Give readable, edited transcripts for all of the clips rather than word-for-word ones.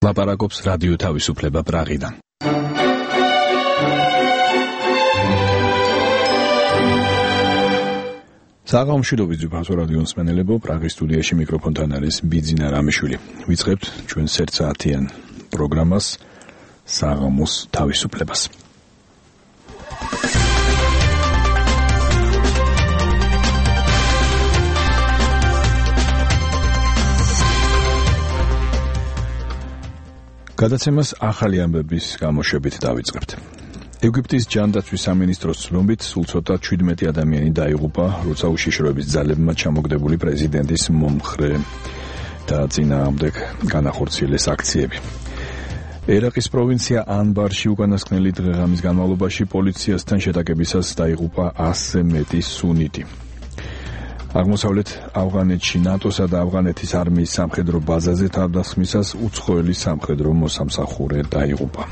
ლაპარაკობს რადიო თავისუფლება პრაღიდან. საღამოშიდობით ძვირფასო რადიოს მსმენელებო, პრაღის სტუდიაში მიკროფონთან არის ბიძინა რამიშვილი. ვიწყებთ ჩვენს ერთსაათიან პროგრამას საღამოს თავისუფლებას. გადაცემას ახალი ამბების გამოშვებით დავიწყებთ. ეგვიპტის ჯანდაცვის სამინისტროს ცნობით სულ ცოტა 17 ადამიანი დაიღუპა, როცა უშიშროების ძალებმა ჩამოგდებული პრეზიდენტის მომხრე და წინააღმდეგ განახორციელეს აქციები. ერაყის პროვინცია ანბარში უკანასკნელი დღე-ღამის განმავლობაში პოლიციასთან შეტაკებისას დაიღუპა 100-ზე მეტი სუნიტი. აღმოსავლეთ ავღანეთში ნატოსა და ავღანეთის არმიის სამხედრო ბაზაზე თავდასხმისას უცხოელი სამხედრო მოსამსახურე დაიღუპა.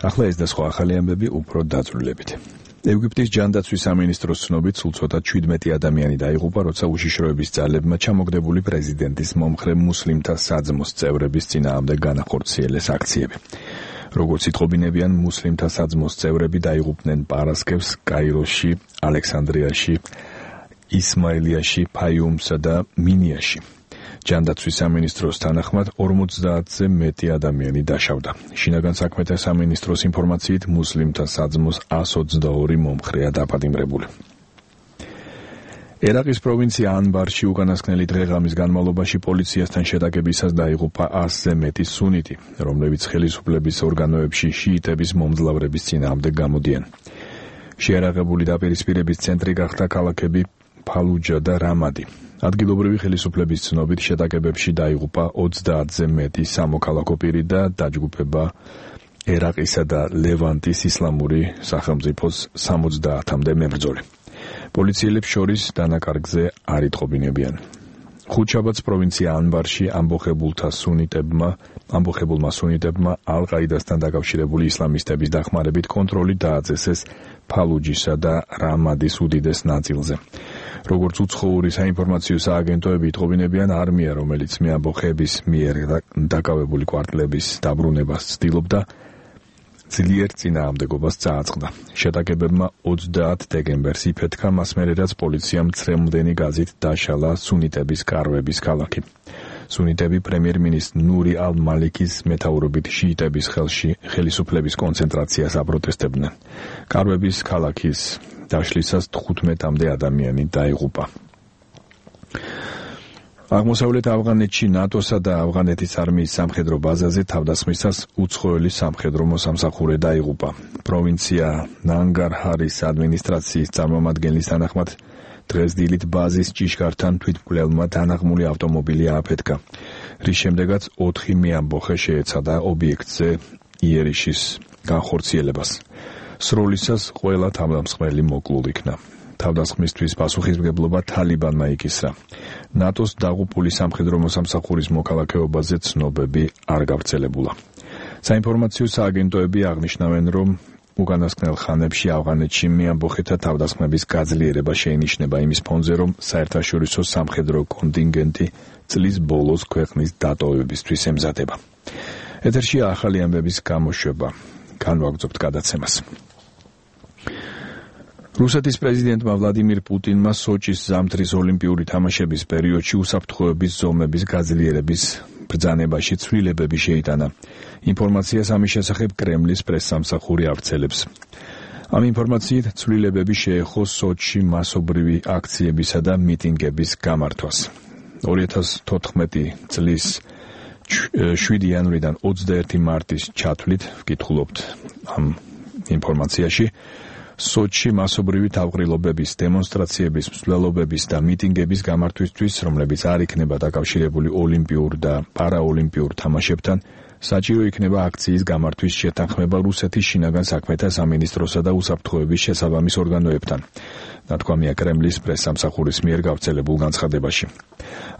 ახლა ეს და სხვა ახალი ამბები უფრო დაწვრილებით. ეგვიპტის ჯანდაცვის სამინისტროს ცნობით სულ ცოტა 17 ადამიანი დაიღუპა, როცა უშიშროების ძალებმა ჩამოგდებული პრეზიდენტის მომხრე მუსლიმთა საძმოს წევრების წინააღმდეგ განახორციელეს აქციები. როგორც იტყობინებიან, მუსლიმთა საძმოს წევრები დაიღუპნენ პარასკევს კაიროში, ალექსანდრიაში, ისმაილიაში, ფაიუმსა და მინიაში. ჯანდაცვის სამინისტროს თანახმად 50-ზე მეტი ადამიანი დაშავდა. შინაგან საქმეთა სამინისტროს ინფორმაციით მუსლიმთა საძმოს 122 მომხრეა დაპატიმრებული. ერაყის პროვინცია ანბარში უკანასკნელი დღე-ღამის განმავლობაში პოლიციასთან შეტაკებისას დაიღუპა 100-ზე მეტი სუნიტი, რომლებიც ხელისუფლების ორგანოებში შიიტების მომძლავრების წინააღმდეგ გამოდიან. შეიარაღებული დაპირისპირების ცენტრი გახდა ქალაქები ფალუჯა და რამადი. ადგილობრივი ხელისუფლების ცნობით შეტაკებებში დაიღუპა 30-ზე მეტი სამოქალაქო პირი და დაჯგუფება ერაყისა და ლევანტის ისლამური სახელმწიფოს 70-მდე მებრძოლი. პოლიციელებს შორის დანაკარგზე არ იტყობინებიან. ხუთშაბათს პროვინცია ანბარში ამბოხებულმა სუნიტებმა ალ-ყაიდასთან დაკავშირებული ისლამისტების დახმარებით კონტროლი დააწესეს ფალუჯისა და რამადის უდიდეს ნაწილზე. როგორც უცხოური საინფორმაციო სააგენტოები იტყობინებიან, არმია, რომელიც მეამბოხების მიერ დაკავებული კვარტლების დაბრუნებას ცდილობდა, ძლიერ წინააღმდეგობას წააწყდა. შეტაკებებმა 30 დეკემბერს იფეთქა, მას მერე რაც პოლიციამ ცრემლდენი გაზით დაშალა სუნიტების კარვების ქალაქი. სუნიტები პრემიერ-მინისტრ ნური ალ-მალიკის მეთაურობით შიიტების ხელში ხელისუფლების კონცენტრაციას აპროტესტებდნენ. კარვების ქალაქის დაშლისას 15-მდე ადამიანი დაიღუპა. აღმოსავლეთ ავღანეთში ნატოსა და ავღანეთის არმიის სამხედრო ბაზაზე თავდასხმისას უცხოელი სამხედრო მოსამსახურე დაიღუპა. პროვინცია ნანგარჰარის ადმინისტრაციის წარმომადგენლის თანახმად დღეს დილით ბაზის ჭიშკართან თვითმკვლელმა დანაღმული ავტომობილი ააფეთქა, რის შემდეგაც 4 მეამბოხე შეეცადა ობიექტზე იერიშის განხორციელებას. სროლისას ყველა თავდამსხმელი მოკლულ იქნა. თავდასხმისთვის პასუხისმგებლობა თალიბანმა იკისრა. ნატოს დაღუპული სამხედრო მოსამსახურის მოქალაქეობაზე ცნობები არ გავრცელებულა. საინფორმაციო სააგენტოები აღნიშნავენ, რომ უკანასკნელ ხანებში ავღანეთში მეამბოხეთა თავდასხმების გაძლიერება შეინიშნება იმის ფონზე, რომ საერთაშორისო სამხედრო კონტინგენტი წლის ბოლოს ქვეყნის დატოვებისთვის ემზადება. ეთერშია ახალი ამბების გამოშვება. განვაგრძობთ გადაცემას. რუსეთის პრეზიდენტმა ვლადიმირ პუტინმა სოჭის ზამთრის ოლიმპიური თამაშების პერიოდში უსაფრთხოების ზომების გაძლიერების ბრძანებაში ცვლილებები შეიტანა. ინფორმაციას ამის შესახებ კრემლის პრესსამსახური ავრცელებს. ამ ინფორმაციით ცვლილებები შეეხო სოჭში მასობრივი აქციებისა და მიტინგების გამართვას. 2014 წლის 7 იანვრიდან 21 მარტის ჩათვლით ვკითხულობთ ამ ინფორმაციაში. სოჭში მასობრივი თავყრილობების, დემონსტრაციების, მსვლელობების და მიტინგების გამართვისთვის, რომლებიც არ იქნება დაკავშირებული ოლიმპიურ და პარაოლიმპიურ თამაშებთან, საჭირო იქნება აქციის გამართვის შეთანხმება რუსეთის შინაგან საქმეთა სამინისტროსა და უსაფრთხოების შესაბამის ორგანოებთან. ნათქვამია კრემლის პრესსამსახურის მიერ გავრცელებულ განცხადებაში.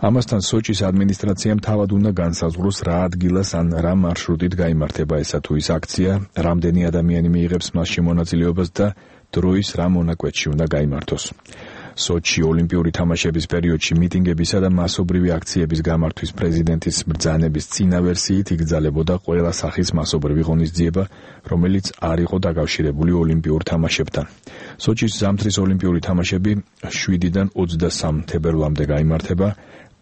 ამასთან სოჭის ადმინისტრაციამ თავად უნდა განსაზღვროს რა ადგილას ან რა მარშრუტით გაიმართება ესა თუ ის აქცია, რამდენი ადამიანი მიიღებს მასში მონაწილეობას და დროის რა მონაკვეთში უნდა გაიმართოს. სოჩი ოლიმპიური თამაშების პერიოდში მიტინგებისა და მასობრივი აქციების გამართვის პრეზიდენტის ბრძანების წინა ვერსიით იგრძელებოდა ყველა სახის მასობრივი ღონისძიება, რომელიც არ იყო დაკავშირებული ოლიმპიურ თამაშებთან. სოჩის ზამთრის ოლიმპიური თამაშები 7-დან 23 თებერვლამდე გაიმართება,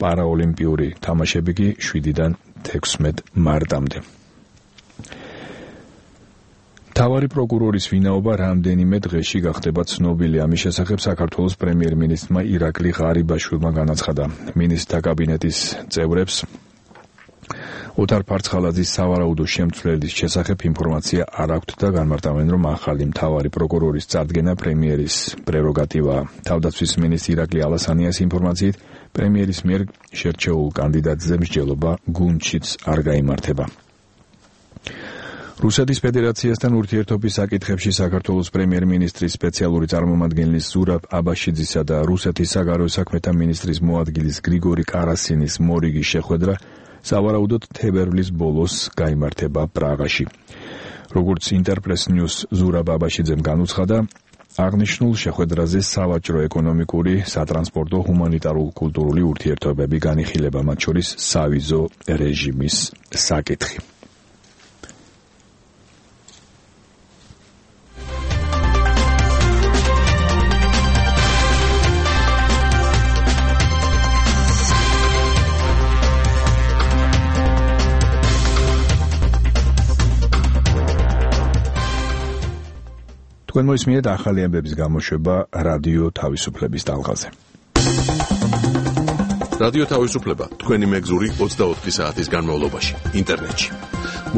პარაოლიმპიური თამაშები კი 7-დან 16 მარტამდე. მთავარი პროკურორის ვინაობა რამდენიმე დღეში გახდება ცნობილი. ამის შესახებ საქართველოს პრემიერ-მინისტრმა ირაკლი ღარიბაშვილმა განაცხადა. მინისტრთა კაბინეტის წევრებს ოთარ ფარცხალაძის სავარაუდო შემცვლელის შესახებ ინფორმაცია არ აქვთ და განმარტავენ, რომ ახალი მთავარი პროკურორის წარდგენა პრემიერის პრეროგატივაა. თავდაცვის მინისტრი ირაკლი ალასანიას ინფორმაციით, პრემიერის მიერ შერჩეულ კანდიდატზე მსჯელობა გუნდშიც არ გაიმართება. რუსეთის ფედერაციასთან ურთიერთობის საკითხებში საქართველოს პრემიერ-მინისტრის სპეციალური წარმომადგენლის ზურაბ აბაშიძისა და რუსეთის საგარეო საქმეთა მინისტრის მოადგილის გრიგორი კარასინის მორიგი შეხვედრა სავარაუდოდ თებერვლის ბოლოს გაიმართება პრაღაში. როგორც ინტერპრეს ნიუს ზურაბ აბაშიძემ განუცხადა, აღნიშნულ შეხვედრაზე სავაჭრო ეკონომიკური, სატრანსპორტო, ჰუმანიტარულ-კულტურული ურთიერთობები განიხილება, მათ შორის სავიზო რეჟიმის საკითხი. თქვენ მოისმინეთ ახალი ამბების გამოშვება რადიო თავისუფლების ტალღაზე. რადიო თავისუფლება თქვენი მეგზური 24 საათის განმავლობაში ინტერნეტში.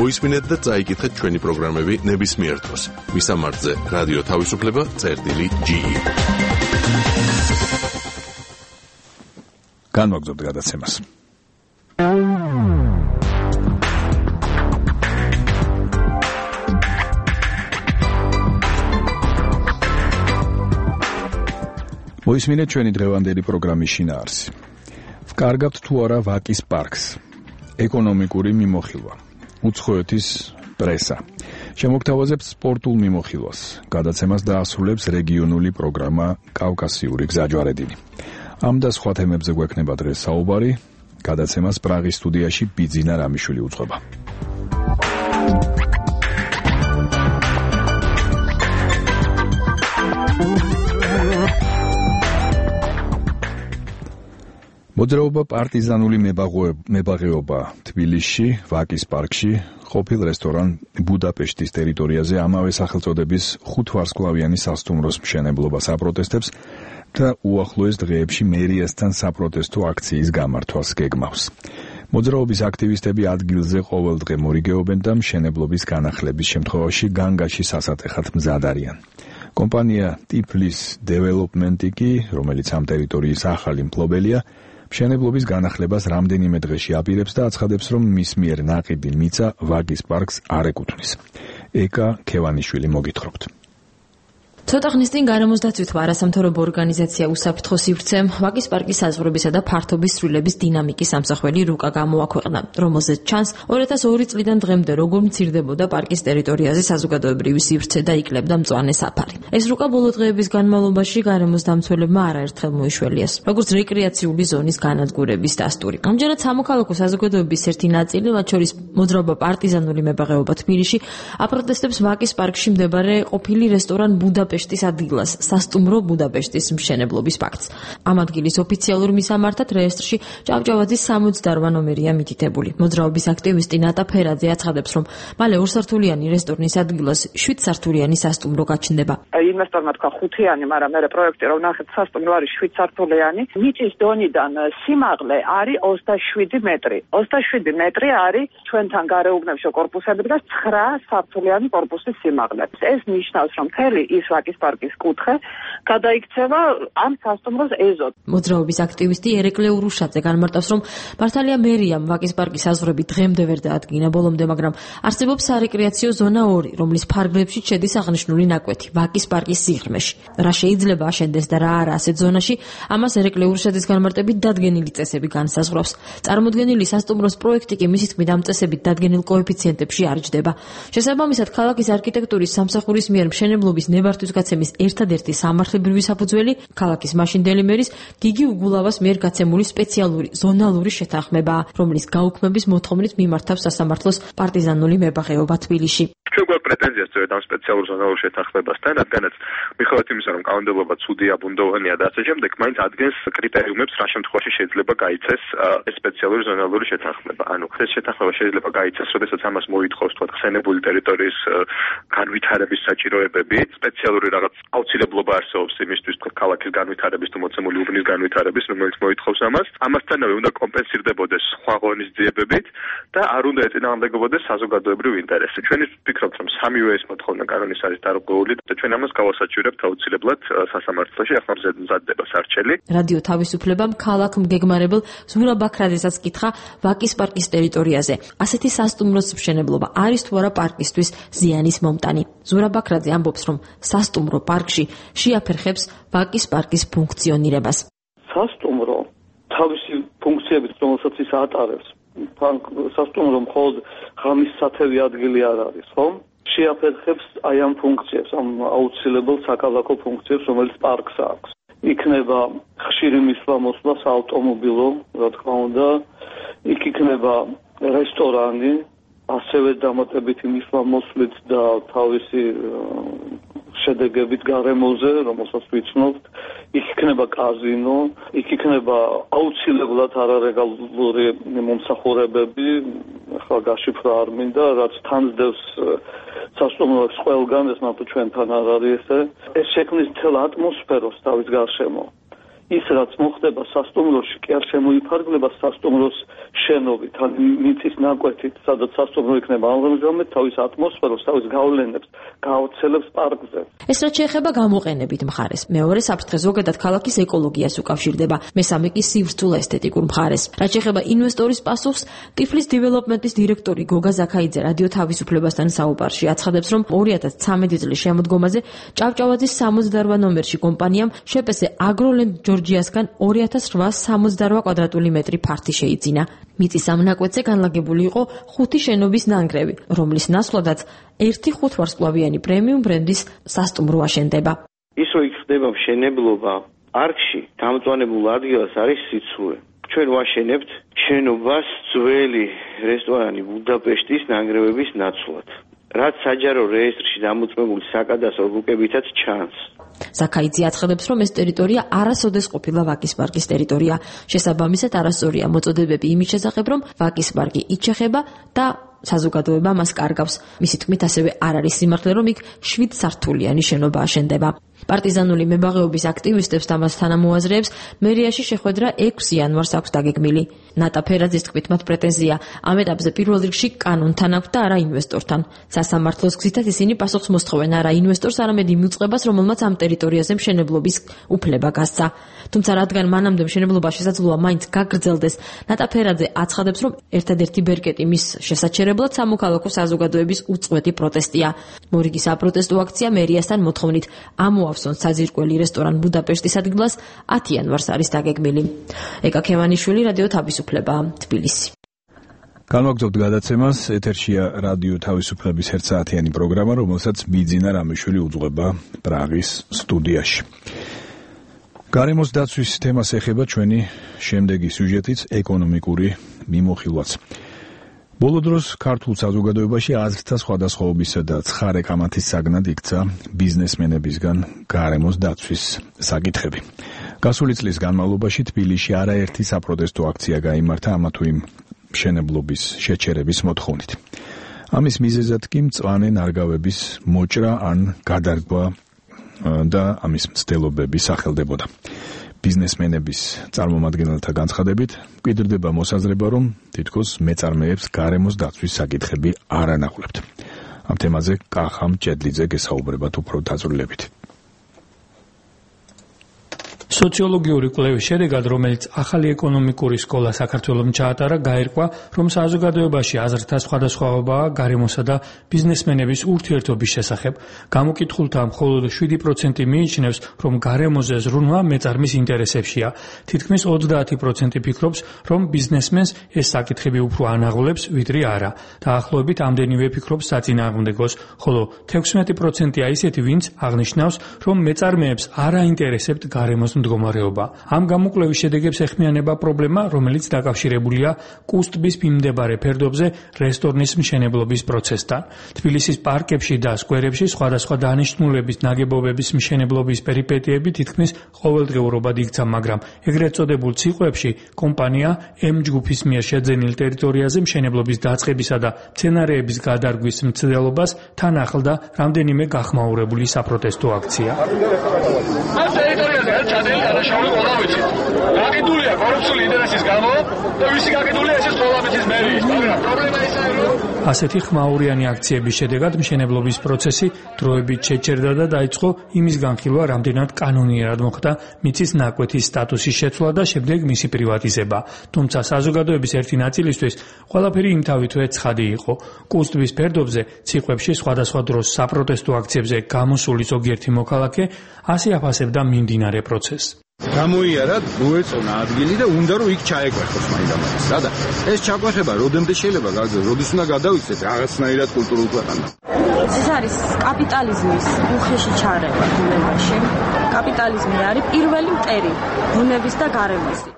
მოისმინეთ და წაიკითხეთ ჩვენი პროგრამები ნებისმიერ დროს. მისამართზე რადიო თავისუფლება.ge. განვაგრძობთ გადაცემას. მოისმინეთ ჩვენი დღევანდელი პროგრამის შინაარსი. ვკარგავთ თუ არა ვაკის პარკს. ეკონომიკური მიმოხილვა. უცხოეთის პრესა. შემოგთავაზებთ სპორტულ მიმოხილვას. გადაცემას დაასრულებს რეგიონული პროგრამა კავკასიური გზაჯვარედინი. ამ და სხვა თემებზე გვექნება დღეს საუბარი. გადაცემას პრაღის სტუდიაში ბიძინა რამიშვილი უძღვება. მოძრაობა პარტიზანული მებაღეობა თბილისში, ვაკის პარკში, ყოფილ რესტორან ბუდაპეშტის ტერიტორიაზე ამავე სახელწოდების 5 ვარსკვლავიანი სასტუმროს მშენებლობას აპროტესტებს და უახლოეს დღეებში მერიასთან საპროტესტო აქციის გამართვას გეგმავს. მოძრაობის აქტივისტები ადგილზე ყოველდღე მორიგეობენ და მშენებლობის განახლების შემთხვევაში განგაში სასატეხად მზად არიან. კომპანია ტიფლის დეველოპმენტი კი, რომელიც ამ ტერიტორიის ახალი მფლობელია, მშენებლობის განახლებას რამდენიმე დღეში აპირებს და აცხადებს, რომ მის მიერ ნაყიდი მიწა ვაკის პარკს არ ეკუთვნის. ეკა ქევანიშვილი მოგითხრობთ. ცოტა ხნის წინ გარემოს დაცვითმა არასამთავრობო ორგანიზაცია უსაფრთხო სივრცემ ვაკის პარკის საზღვრებისა და ფართობის ცვლილების დინამიკის ამსახველი რუკა გამოაქვეყნა, რომელზეც ჩანს 2002 წლიდან დღემდე როგორ მცირდებოდა პარკის ტერიტორიაზე საზოგადოებრივი სივრცე და იკლებდა მწვანე საფარი. ეს რუკა ბოლო დღეების განმავლობაში გარემოს დამცველებმა არაერთხელ მოიშველიეს, როგორც რეკრეაციული ზონის განადგურების დასტური. ამჯერად სამოქალაქო საზოგადოების ერთი ნაწილი, მათ შორის მოძრაობა პარტიზანული მებაღეობა თბილისში, აპროტესტებს ვაკის პარკში მდებარე ყოფილი რესტორან ბუდაპეშტის ადგილას, სასტუმრო ბუდაპეშტის მშენებლობის ფაქტს. ამ ადგილის ოფიციალურ მისამართად რეესტრში ჭავჭავაძის 68 ნომერია მითითებული. მოძრაობის აქტივისტი ნატა ფერაძე აცხადებს, რომ მალე 2 სართულიანი რესტორნის ადგილას 7 სართულიანი სასტუმრო გაჩნდება. ინვესტორმა თქვა 5-იანი, მაგრამ მე პროექტი რომ ნახეთ სასტუმრო არის 7 სართულიანი. მიწის დონიდან სიმაღლე არის 27 მეტრი. 27 მეტრი არის ჩვენთან გარეუბნებშო კორპუსები და 9 სართულიანი კორპუსის სიმაღლე. ეს ნიშნავს, რომ მთელი ის ვაკის პარკის კუთხე გადაიქცევა ამ სასტუმროს ეზოდ. მოძრაობის აქტივისტი ერეკლე ურუშაძე განმარტავს, რომ მართალია მერიამ ვაკის პარკის საზღვრები დღემდე ვერ დაადგინა ბოლომდე, მაგრამ არსებობს სარეკრეაციო ზონა 2, რომლის ფარგლებში შედის აღნიშნული ნაკვეთი ვაკის პარკის სიღრმეში. რა შეიძლება აშენდეს და რა არა ასეთ ზონაში, ამას ერეკლე ურუშაძის განმარტებით დადგენილი წესები განსაზღვრავს. წარმოდგენილი სასტუმროს პროექტი კი მისი თქმით ამ წესებით დადგენილ კოეფიციენტებში არ ჯდება. შესაბამისად, ქალაქის არქიტექტურის სამსახურის მიერ მშენებლობის ნებართვის გადაწყვეტილების ერთადერთი სამართლებრივი საფუძველი ქალაქის მაშინდელი მერის გიგი უგულავას მიერ გაცემული სპეციალური ზონალური შეთანხმებაა, რომლის გაუქმების მოთხოვნით მიმართავს სასამართლოს პარტიზანული მებაღეობა თბილისში. ჩვენ გვაქვს პრეტენზია სწორედ ამ სპეციალურ ზონალურ შეთანხმებასთან, რადგანაც მიუხედავად იმისა, რომ კანონმდებლობა ცუდია, ბუნდოვანია და ასე შემდეგ, მაინც ადგენს კრიტერიუმებს, რა შემთხვევაში შეიძლება გაიცეს ეს სპეციალური ზონალური შეთანხმება. ანუ ეს შეთანხმება შეიძლება გაიცეს, როდესაც ამას მოითხოვს თქვა ხსენებული ტერიტორიის განვითარების საჭიროებები, სპეციალური რაღაც აუცილებლობა არსებობს იმისთვის, თქვა ქალაქის განვითარების თუ მოცემული უბნის განვითარების, რომელიც მოითხოვს ამას. ამასთანავე უნდა კომპენსირდებოდეს სხვა ღონისძიებებით და არ უნდა ეწინააღმდეგობოდეს საზოგადოებრივ ინტერესზე. ჩვენ ვფიქრობთ, რომ სამივე ეს მოთხოვნა კანონის არის დარღვეული და ჩვენ ამას გავასაჩივრებთ აუცილებლად სასამართლოში, ახლა მზადდება სარჩელი. რადიო თავისუფლებამ ქალაქ მგეგმარებელ ზურაბ ბაქრაძესაც კითხა ვაკის პარკის ტერიტორიაზე. ასეთი სასტუმროს მშენებლობა არის თუ არა პარკისთვის ზიანის მომტანი. ზურაბ ბაქრაძე ამბობს, რომ სასტუმრო პარკში შეაფერხებს ვაკის პარკის ფუნქციონირებას. სასტუმრო თავისი ფუნქციებით, რომელსაც ის ატარებს, სასტუმრო მხოლოდ ღამის სათევი ადგილი არ არის, ხომ? შეაფერხებს აი ამ ფუნქციებს, ამ აუცილებელ საკალათო ფუნქციებს, რომელიც პარკს აქვს. იქნება ხშირი მისვლა-მოსვლა საავტომობილო, რა თქმა უნდა, იქ იქნება რესტორანი, ასევე დამატებითი მისვლა-მოსვლით და თავისი შედეგებით გარემოზე, რომელსაც ვიცნობთ, იქ იქნება კაზინო, იქ იქნება აუცილებლად არარეგულარული მომსახურებები, ახლა გაშიფრა არ მინდა, რაც თანსდევს სასტუმროებს ყველგან, ეს მარტო ჩვენთან არ არის ესე. ეს შექმნის მთელ ატმოსფეროს თავის გარშემო. ის რაც მოხდება სასტუმროში, კი არ შემოიფარგლება სასტუმროს შენობით, ან მიწის ნაკვეთით, სადაც სასტუმრო იქნება ამჟამად თავის ატმოსფეროს, თავის გავლენებს გაავრცელებს პარკზე. ეს რაც შეეხება გამოყენებით მხარეს. მეორე საფრთხე ზოგადად ქალაქის ეკოლოგიას უკავშირდება, მესამე კი სივრცულ ესთეტიკურ მხარეს. რაც შეეხება ინვესტორის პასუხს, ტიფლის დეველოპმენტის დირექტორი გოგა ზაქაიძე რადიო თავისუფლებასთან საუბარში აცხადებს, რომ 2013 წლის შემოდგომაზე ჭავჭავაძის 68 ნომერში კომპანიამ შეპესე აგროლენდ ჯორჯიასგან 2868 კვადრატული მეტრი ფართი შეიძინა. მიწის ამ ნაკვეთზე განლაგებული იყო 5 შენობის ნანგრევი, რომლის ნაცვლადაც 1 ვარსკვლავიანი პრემიუმ ბრენდის სასტუმრო აშენდება. ის რო იქ ხდება მშენებლობა, პარკში დამწვანებულ ადგილას არის სიცივე. ჩვენ ვაშენებთ შენობას ძველი რესტორანი ბუდაპეშტის ნანგრევების ნაცვლად, რაც საჯარო რეესტრში დამოწმებული საკადასტრო ბუკებითაც ჩანს. ზაქაიძე აცხადებს, რომ ეს ტერიტორია არასოდეს ყოფილა ვაკის პარკის ტერიტორია. შესაბამისად, არასწორია მოწოდებები იმის შესახებ, რომ ვაკის პარკი იჩეხება და საზოგადოება მას კარგავს. მისი თქმით, ასევე არ არის სიმართლე, რომ იქ 7 სართულიანი შენობა აშენდება. პარტიზანული მებაღეობის აქტივისტებს და მას თანამოაზრეებს მერიაში შეხვედრა 6 იანვარს აქვს დაგეგმილი. ნატა ფერაძის თქმით, მათ პრეტენზია ამ ეტაპზე პირველ რიგში კანონთან აქვს და არა ინვესტორთან. სასამართლოს გზითაც ისინი პასუხს მოსთხოვენ არა ინვესტორს, არამედ იმ უწყებას, რომელმაც ამ ტერიტორიაზე მშენებლობის უფლება გასცა. თუმცა რადგან მანამდე მშენებლობა შესაძლოა მაინც გაგრძელდეს, ნატა ფერაძე აცხადებს, რომ ერთადერთი ბერკეტი მის შესაჩერებლად სამოქალაქო საზოგადოების უწყვეტი პროტესტია. მორიგი საპროტესტო აქცია მერიასთან მოთხოვნით ამოავსონ საძირკველი რესტორან ბუდაპეშტის ადგილას 10 იანვარს არის დაგეგმილი. ეკა ქემანიშვილი, რადიო თავისუფლება, თბილისი. განვაგრძობთ გადაცემას, ეთერშია რადიო თავისუფლების 1 საათიანი პროგრამა, რომელსაც ბიძინა რამიშვილი უძღვება პრაღის სტუდიაში. გარემოს დაცვის თემას ეხება ჩვენი შემდეგი სიუჟეტიც, ეკონომიკური მიმოხილვაც. ბოლო დროს ქართულ საზოგადოებაში აზრთა სხვადასხვაობისა და ცხარე კამათის საგნად იქცა ბიზნესმენებისგან გარემოს დაცვის საკითხები. გასული წლის განმავლობაში თბილისში არაერთი საპროტესტო აქცია გაიმართა ამა თუ იმ მშენებლობის შეჩერების მოთხოვნით. ამის მიზეზად კი მწვანე ნარგავების მოჭრა ან გადარგვა და ამის მცდელობები სახელდებოდა. ბიზნესმენების წარმომადგენელთა განცხადებით მკვიდრდება მოსაზრება, რომ თითქოს მეწარმეებს გარემოს დაცვის საკითხები არ ანახულებთ. ამ თემაზე კახა მჭედლიძე გესაუბრებათ უფრო დაწვრილებით. სოციოლოგიური კვლევის შედეგად, რომელიც ახალი ეკონომიკური სკოლა საქართველოს ჩაატარა, გაირკვა, რომ საზოგადოებაში აზრთა სხვადასხვაობაა გარემოსა და ბიზნესმენების ურთიერთობის შესახებ. გამოკითხულთა მხოლოდ 7% მიიჩნევს, რომ გარემოზე ზრუნვა მეწარმის ინტერესებშია. თითქმის 30% ფიქრობს, რომ ბიზნესმენს ეს საკითხები უფრო ანაღლებს, ვიდრე არა. დაახლოებით ამდენივე ფიქრობს საწინააღმდეგოს, ხოლო 16%-ია ისეთი, ვინც აღნიშნავს, რომ მეწარმეებს არ აინტერესებთ გარემოს მდგომარეობა. ამ გამოკვლევის შედეგებს ეხმიანება პრობლემა, რომელიც დაკავშირებულია კუსტბის მიმდებარე ფერდობზე რესტორნის მშენებლობის პროცესთან. თბილისის პარკებში და სკვერებში სხვადასხვა დანიშნულების ნაგებობების მშენებლობის პერიპეტიები თითქმის ყოველდღიურობად იქცა, მაგრამ ეგრეთ წოდებულ ციყვებში კომპანია M ჯგუფის მიერ შეძენილ ტერიტორიაზე მშენებლობის დაწყებისა და მცენარეების გადარგვის მცდელობას თან ახლდა რამდენიმე გახმაურებული საპროტესტო აქცია. შაული ყველა ვიცით. გაკიდულია კორუფციული ინტერესის გამო და ვისი გაკიდულია ეს სკოლაბეთის მერიის, მაგრამ პრობლემა ისაა, რომ ასეთი ხმაურიანი აქციების შედეგად მშენებლობის პროცესი დროებით შეჩერდა და დაიწყო იმის განხილვა, რამდენად კანონიერად მოხდა მიწის ნაკვეთის სტატუსის შეცვლა და შემდეგ მისი პრივატიზება. თუმცა საზოგადოების ერთი ნაწილისთვის ყველაფერი იმთავითვე ცხადი იყო. კუსტბის ფერდობზე, ციყვებში სხვადასხვა დროს საპროტესტო აქციებზე გამოსული ზოგიერთი მოქალაქე ასე აფასებდა მიმდინარე პროცესს. გამოიარა მოეწონა ადგილი და უნდა რომ იქ ჩაეკვეხოს მაინდამაინც. და ეს ჩაკვეხება როდემდე შეიძლება გაგრძელდეს, როდის უნდა გადავიქცეთ რაღაცნაირად კულტურულ ქვეყანად. ეს არის კაპიტალიზმის უხეში ჩარევა ბუნებაში. კაპიტალიზმი არის პირველი მტერი ბუნების და გარემოსი.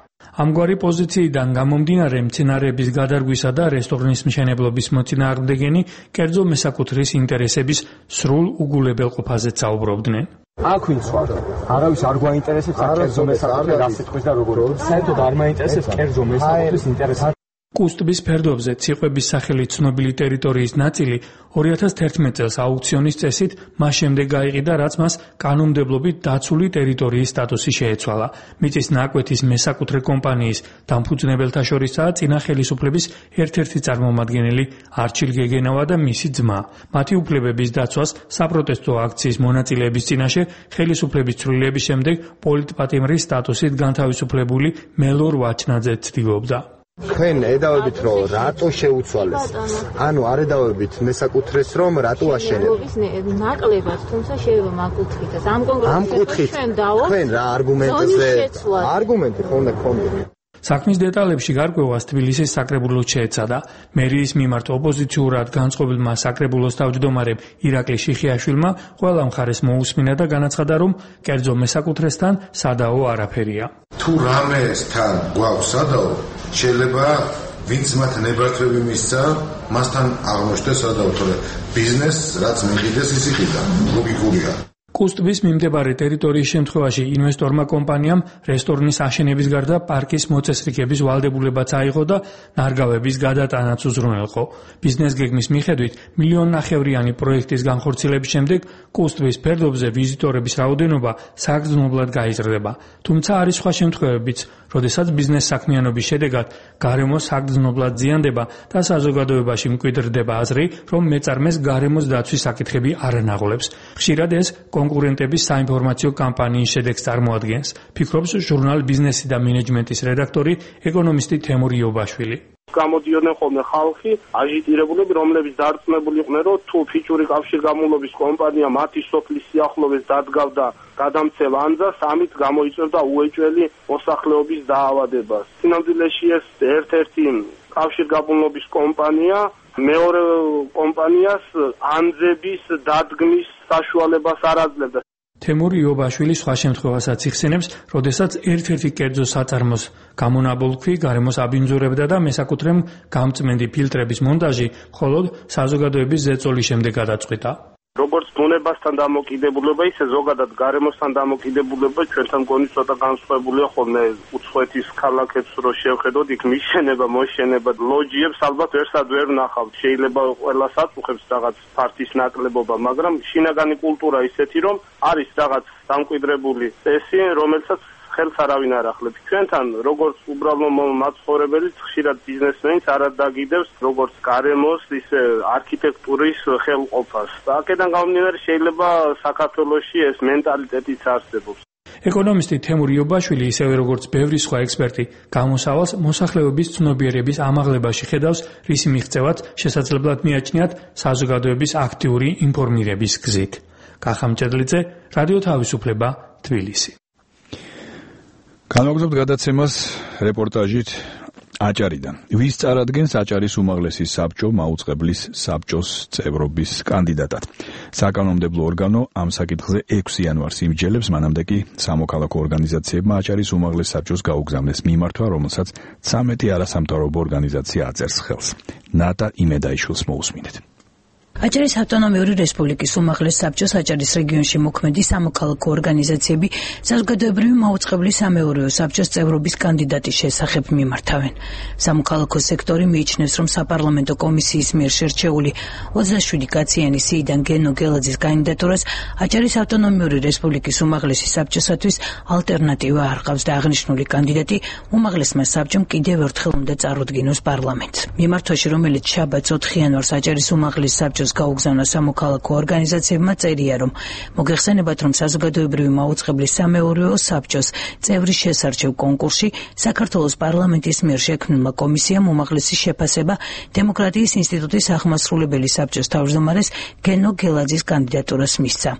ამგვარი პოზიციიდან გამომდინარე, მცენარეების გადარგვისა და რესტორნის მშენებლობის მოწინააღმდეგენი კერძო მესაკუთრის ინტერესების სრულ უგულებელყოფაზეც საუბრობდნენ. აქ ვინც ვარ? არავის არ გვაინტერესებს კერძო მესაკუთრის გასიტყვის და როგორ. საერთოდ არ მაინტერესებს კერძო მესაკუთრის ინტერესი. კუსტბის ფერდობზე ციყვების სახელით ცნობილი ტერიტორიის ნაწილი 2011 წელს აუქციონის წესით მას შემდეგ გაიყიდა, რაც მას კანონმდებლობით დაცული ტერიტორიის სტატუსი შეეცვალა. მიწის ნაკვეთის მესაკუთრე კომპანიის დამფუძნებელთა შორისაა წინა ხელისუფლების ერთ-ერთი წარმომადგენელი არჩილ გეგენავა და მისი ძმა. მათი უფლებების დაცვას საპროტესტო აქციის მონაწილეების წინაშე ხელისუფლების ცვლილების შემდეგ პოლიტპატიმრის სტატუსით განთავისუფლებული მელორ ვაჩნაძე ცდილობდა. თქვენ ედავებით რომ რატო შეუცვალეს? ანუ არ ედავებით მესაკუთრეს რომ რატო აშენებთ? ნაკლებად, თუმცა შეიძლება მაკუთხითაც. ამ კონკრეტულად ჩვენ დავო. თქვენ რა არგუმენტზე? არგუმენტი ხონდა გქონდეთ. საქმის დეტალებში გარკვევას თბილისის საკრებულოს შეეცადა. მერიის მიმართ ოპოზიციურად განწყობილმა საკრებულოს თავმჯდომარემ ირაკლი შიხიაშვილმა ყველა მხარეს მოусმინა და განაცხადა, რომ კერძო მესაკუთრესთან სადაო არაფერია. თუ რამესთან გვაქვს სადაო, შეიძლება ვინც მათ ნებართვები მისცა, მასთან აღმოჩნდეს სადაო, თორე ბიზნესს რაც მიყიდეს ის იყიდა. ლოგიკურია. კუსტბის მიმდებარე ტერიტორიის შემთხვევაში ინვესტორმა კომპანიამ რესტორნის აშენების გარდა პარკის მოწესრიგების ვალდებულებაც აიღო და ნარგავების გადატანაც უზრუნველყო. ბიზნეს გეგმის მიხედვით მილიონნახევრიანი პროექტის განხორციელების შემდეგ კუსტბის ფერდობზე ვიზიტორების რაოდენობა საგრძნობლად გაიზრდება. თუმცა არის სხვა შემთხვევებიც, როდესაც ბიზნეს საქმიანობის შედეგად გარემო საგრძნობლად ზიანდება და საზოგადოებაში მკვიდრდება აზრი, რომ მეწარმეს გარემოს დაცვის საკითხები არ ანაღლებს. ხშირად ეს კონკურენტების საინფორმაციო კამპანიის შედეგს წარმოადგენს, ფიქრობს ჟურნალ ბიზნესი და მენეჯმენტის რედაქტორი, ეკონომისტი თემურ იობაშვილი. გამოდიოდნენ ხოლმე ხალხი, აჟიტირებულები, რომლებიც დარწმუნებული იყვნენ, რომ თუ ფიჭური კავშირგამულობის კომპანია მათი სოფლის სიახლოვეს დადგავდა გადამცემ ანძას, ამით გამოიწვევდა უეჭველი მოსახლეობის დაავადებას. სინამდვილეში ეს ერთ-ერთი კავშირგაბმულობის კომპანია მეორე კომპანიას ანძების დადგმის საშუალებას არ აძლევდა. თემურ იობაშვილი სხვა შემთხვევასაც იხსენებს, როდესაც ერთ-ერთი კერძო საწარმოს გამონაბოლქვი გარემოს აბინძურებდა და მესაკუთრემ გამწმენდი ფილტრების მონტაჟი მხოლოდ საზოგადოების ზეწოლის შემდეგ გადაწყვიტა. როგორც ბუნებასთან დამოკიდებულება, ისე ზოგადად გარემოსთან დამოკიდებულება ჩვენთან მგონი ცოტა განსხვავებულია ხოლმე. უცხოეთის ქალაქებს რო შევხედოთ, იქ მიშენება, მოშენება, ლოჯიებს ალბათ ერთად ვერ ვნახავთ. შეიძლება ყველას აწუხებს რაღაც ფართის ნაკლებობა, მაგრამ შინაგანი კულტურა ისეთი, რომ არის რაღაც დამკვიდრებული წესი, რომელსაც ხელს არავინ არ ახლებს. ჩვენთან როგორც უბრალო მაცხოვრებელი, ხშირად ბიზნესმენიც არ დაგიდევს როგორც გარემოს, ისე არქიტექტურის ხელყოფას. აქედან გამომდინარე შეიძლება საქართველოში ეს მენტალიტეტიც არსებობს. ეკონომისტი თემურ იობაშვილი ისევე როგორც ბევრი სხვა ექსპერტი გამოსავალს მოსახლეობის ცნობიერების ამაღლებაში ხედავს, რისი მიღწევაც შესაძლებლად მიაჩნიათ საზოგადოების აქტიური ინფორმირების გზით. კახამჭედლიძე, რადიო თავისუფლება, თბილისი. განვაგრძობთ გადაცემას რეპორტაჟით აჭარიდან. ვის წარადგენს აჭარის უმაღლესი საბჭო მაუწყებლის საბჭოს წევრობის კანდიდატად? საკანონმდებლო ორგანო ამ საკითხზე 6 იანვარს იმსჯელებს, მანამდე კი სამოქალაქო ორგანიზაციებმა აჭარის უმაღლეს საბჭოს გაუგზავნეს მიმართვა, რომელსაც 13 არასამთავრობო ორგანიზაცია აწერს ხელს. ნატა იმედაიშვილს მოусმინეთ. აჭარის ავტონომიური რესპუბლიკის უმაღლეს საბჭოს აჭარის რეგიონში მოქმედი სამოქალაქო ორგანიზაციები საზოგადოებრივი მაუწყებლის სამეურვეო საბჭოს წევრობის კანდიდატის შესახებ მიმართავენ. სამოქალაქო სექტორი მიიჩნევს, რომ საპარლამენტო კომისიის მიერ შერჩეული 27 კაციანი სიიდან გენო გელაძის კანდიდატურას აჭარის ავტონომიური რესპუბლიკის უმაღლესი საბჭოსათვის ალტერნატივა არ ყავს და აღნიშნული კანდიდატი უმაღლესმა საბჭომ კიდევ ერთხელ უნდა წარუდგინოს პარლამენტს. მიმართვაში, რომელიც შაბათს 4 იანვარს აჭარის უმაღლეს საბჭოს გაუგზავნა სამოქალაქო ორგანიზაციებმა წერია, რომ მოგეხსენებათ, რომ საზოგადოებრივი მაუწყებლის სამეურვეო საბჭოს წევრის შესარჩევ კონკურსში საქართველოს პარლამენტის მიერ შექმნილმა კომისიამ უმაღლესი შეფასება დემოკრატიის ინსტიტუტის აღმასრულებელი საბჭოს თავმჯდომარეს გენო გელაძის კანდიდატურას მისცა.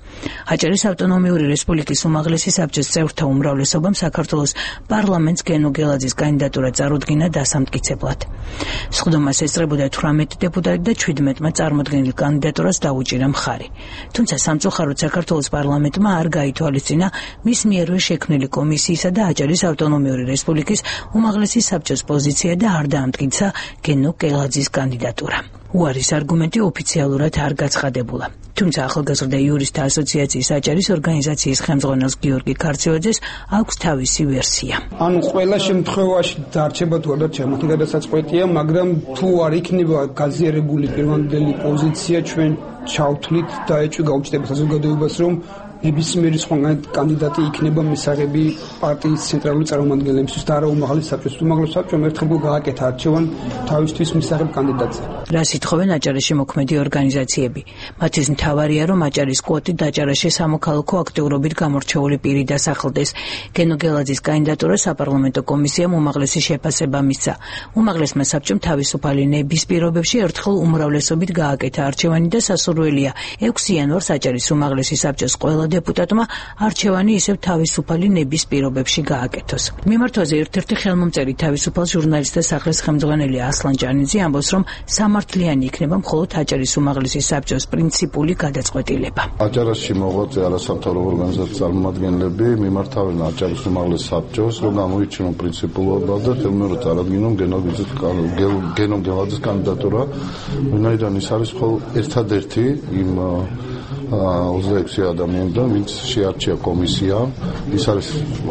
აჭარის ავტონომიური რესპუბლიკის უმაღლესი საბჭოს წევრთა უმრავლესობამ საქართველოს პარლამენტს გენო გელაძის კანდიდატურა წარუდგინა დასამტკიცებლად. სხდომას ესწრებოდა 18 დეპუტატი და 17-მა წარმოდგენილ კანდიდატურას დაუჭირა მხარი. თუმცა სამწუხაროდ საქართველოს პარლამენტმა არ გაითვალისწინა მის მიერვე შექმნილი კომისიისა და აჭარის ავტონომიური რესპუბლიკის უმაღლესი საბჭოს პოზიცია და არ დაამტკიცა გენო გელაძის კანდიდატურა. უარის არგუმენტი ოფიციალურად არ გაცხადებულა. თუმცა ახალგაზრდა იურისტთა ასოციაციის აჭარის ორგანიზაციის ხელმძღვანელს გიორგი ქარცევაძეს აქვს თავისი ვერსია. ანუ ყველა შემთხვევაში დარჩება თუ არ დარჩება, მათი გადასაწყვეტია, მაგრამ თუ არ იქნება გაზიარებული პირვანდელი პოზიცია, ჩვენ ჩავთვლით და ეჭვი გაუჩნდება საზოგადოებას, რომ ნებისმიერი სხვა კანდიდატი იქნება მისაღები პარტიის ცენტრალური წარმომადგენლებისთვის და არა უმაღლეს საბჭოს. უმაღლეს საბჭომ ერთხელ გააკეთა არჩევანი თავისთვის მისაღებ კანდიდატზე. რას ითხოვენ აჭარაში მოქმედი ორგანიზაციები? მათთვის მთავარია, რომ აჭარის კვოტით აჭარაში სამოქალაქო აქტიურობით გამორჩეული პირი დასახელდეს. გენო გელაძის კანდიდატურა საპარლამენტო კომისიამ უმაღლესი შეფასება მისცა. უმაღლესმა საბჭომ თავისუფალი ნების პირობებში ერთხელ უმრავლესობით გააკეთა არჩევანი და სასურველია 6 იანვარს აჭარის უმაღლესი საბჭოს ყველა დეპუტატმა არჩევანი ისევ თავისუფალი ნების პირობებში გააკეთოს. მიმართვაზე ერთ-ერთი ხელმომწერი თავისუფალ ჟურნალისტთა სახლის ხელმძღვანელი ასლან ჭანიძე ამბობს, რომ სამართლიანი იქნება მხოლოდ აჭარის უმაღლესი საბჭოს პრინციპული გადაწყვეტილება. აჭარაში მოღვაწე არასამთავრობო ორგანიზაციის წარმომადგენლები მიმართავენ აჭარის უმაღლეს საბჭოს, რომ გამოიჩინონ პრინციპულობა და თელმეორად წარადგინონ გენო გელაძის კანდიდატურა, ვინაიდან ის არის მხოლოდ ერთადერთი იმ 26 ადამიანიდან, ვინც შეარჩია კომისია. ის არის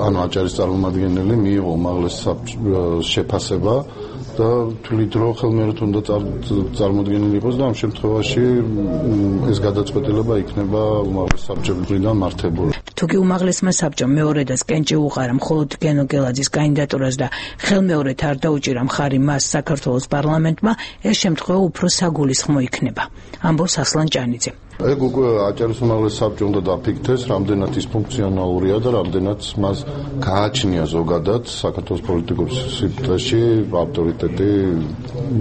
ანუ აჭარის წარმომადგენელი, მიიღო უმაღლეს საბჭოს შეფასება და თვლით, რომ ხელმეორედ უნდა წარმოდგენილი იყოს და ამ შემთხვევაში ეს გადაწყვეტილება იქნება უმაღლეს საბჭოსგან მართებული. თუკი უმაღლესმა საბჭომ მეორედაც კენჭი უყარა მხოლოდ გენო გელაძის კანდიდატურას და ხელმეორედ არ დაუჭირა მხარი მას საქართველოს პარლამენტმა, ეს შემთხვევა უფრო საგულისხმო იქნება, ამბობს ასლან ჭანიძე. ეგ უკვე აჭარის უმაღლეს საბჭომ უნდა დაფიქრდეს, რამდენად ის ფუნქციონალურია და რამდენად მას გააჩნია ზოგადად საქართველოს პოლიტიკურ სივრცეში ავტორიტეტი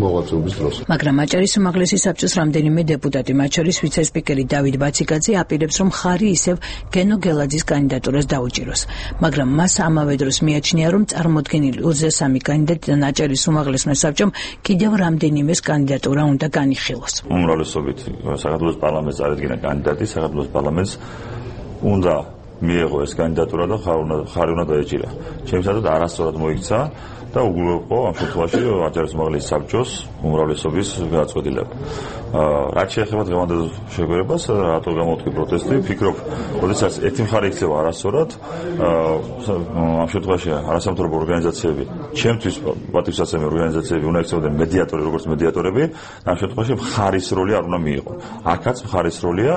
მოღვაწეობის დროს. მაგრამ აჭარის უმაღლესი საბჭოს რამდენიმე დეპუტატი, მათ შორის ვიცე-სპიკერი დავით ბაციკაძე აპირებს, რომ მხარი ისევ გენო გელაძის კანდიდატურას დაუჭიროს. მაგრამ მას ამავე დროს მიაჩნია, რომ წარმოდგენილი 23 კანდიდატიდან აჭარის უმაღლესმა საბჭომ კიდევ რამდენიმეს კანდიდატურა უნდა განიხილოს. უმრავლესობით საქართველოს პარლამენტს წარადგინა კანდიდატი, საქართველოს პარლამენტს უნდა მიეღო ეს კანდიდატურა და ხარი უნდა დაეჭირა. ჩემსადად არასწორად მოიქცა და უგულოებო ამ შემთხვევაში აჭარის უმაღლესი საბჭოს უმრავლესობის გადაწყვეტილება. რაც შეეხება დღევანდელ შეგვერებას, რატო გამოთქვი პროტესტი, ფიქრობ, როდესაც ერთი მხარე იქცევა არასწორად, ამ შემთხვევაში არასამთავრობო ორგანიზაციები, ჩემთვის პატრიოტული ორგანიზაციები უნდა იქცეოდნენ მედიატორი, როგორც მედიატორები, ამ შემთხვევაში მხარის როლი არ უნდა მიიღო. აქაც მხარის როლია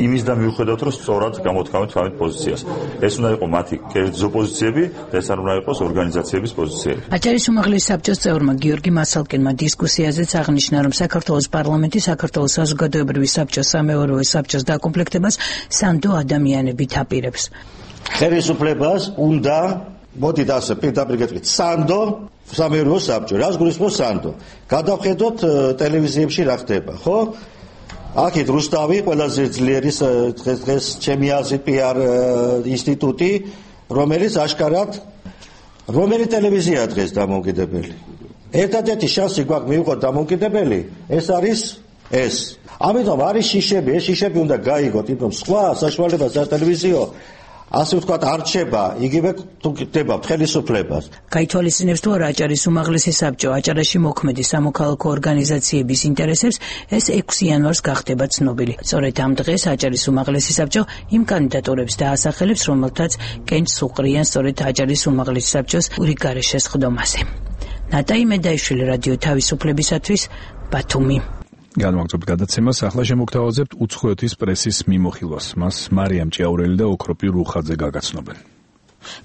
იმის და მიუხედავად, რომ სწორად გამოთქვამთ თავის პოზიციას. ეს უნდა იყოს მათი კერძო პოზიციები და ეს არ უნდა იყოს ორგანიზაციების პოზიციები. აჭარის უმაღლესი საბჭოს წევრმა გიორგი მასალკინმა დისკუსიაზეც აღნიშნა, რომ საქართველოს პარლამენტი საქართველოს საზოგადოებრივი საბჭოს სამეურვეო საბჭოს დაკომპლექტებას სანდო ადამიანებით აპირებს. ხელისუფლებას უნდა მოდით ასე პირდაპირ გეტყვით სანდო სამეურვეო საბჭო რას გულისხმობს სანდო გადავხედოთ ტელევიზიებში რა ხდება ხო აქეთ რუსთავი ყველაზე ძლიერი დღეს ჩემი აზრით PR ინსტიტუტი რომელიც აშკარად რომელი ტელევიზია დღეს დამოუკიდებელი ერთადერთი შანსი გვაქვს მივიღოთ დამოუკიდებელი ეს არის ეს ამიტომ არის შიშები ეს შიშები უნდა გაიგოთ იმიტომ სხვა საშუალება სატელევიზიო ასე ვთქვათ არ რჩება იგივე თუ ხდება ხელისუფლებას გაითვალისწინებს თუ არა აჭარის უმაღლესი საბჭო აჭარაში მოქმედი სამოქალაქო ორგანიზაციების ინტერესებს ეს 6 იანვარს გახდება ცნობილი სწორედ ამ დღეს აჭარის უმაღლესი საბჭო იმ კანდიდატურებს დაასახელებს რომელთაც კენჭს უყრიან სწორედ აჭარის უმაღლესი საბჭოს ურიგარე შესხდომაზე ნატაი მედაიშვილი რადიო თავისუფლებისათვის ბათუმი განვაგრძობთ გადაცემას ახლა შემოგთავაზებთ უცხოეთის პრესის მიმოხილვას მას მარიამ ჭიაურელი და ოქროპი რუხაძე გაგაცნობენ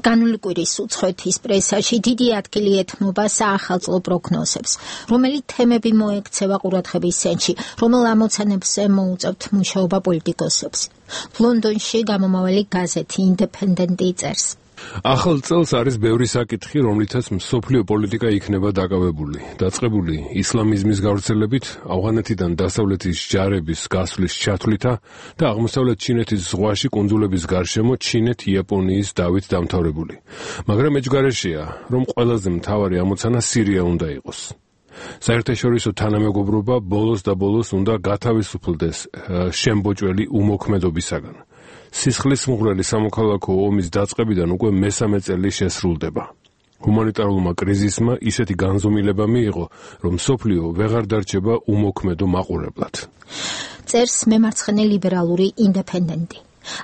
განული კვირის უცხოეთის პრესაში დიდი ადგილი ეთმობა საახალწლო პროგნოზებს რომელი თემები მოექცევა ყურადღების ცენტრში რომელ ამოცანებზე მოუწევთ მუშაობა პოლიტიკოსებს ლონდონში გამომავალი გაზეთი ინდეპენდენტი წერს ახალ წელს არის ბევრი საკითხი, რომლითაც მსოფლიო პოლიტიკა იქნება დაკავებული. დაწყებული ისლამიზმის გავრცელებით, ავღანეთიდან დასავლეთის ჯარების გასვლის ჩათვლითა და აღმოსავლეთ ჩინეთის ზღვაში კუნძულების გარშემო ჩინეთ-იაპონიის დავით დამთავრებული. მაგრამ ეჯგარეშეა, რომ ყველაზე მთავარი ამოცანა სირია უნდა იყოს. საერთაშორისო თანამეგობრობა ბოლოს და ბოლოს უნდა გათავისუფლდეს შემბოჭველი უმოქმედობისაგან. სისხლის მუღრელი სამოქალაქო ომის დაწყებიდან უკვე მესამე წელი შესრულდება. ჰუმანიტარულმა კრიზისმა ისეთი განზომილება მიიღო, რომ მსოფლიო ვეღარ დარჩება უმოქმედო მაყურებლად. წერს მემარცხენე ლიბერალური ინდეპენდენტი.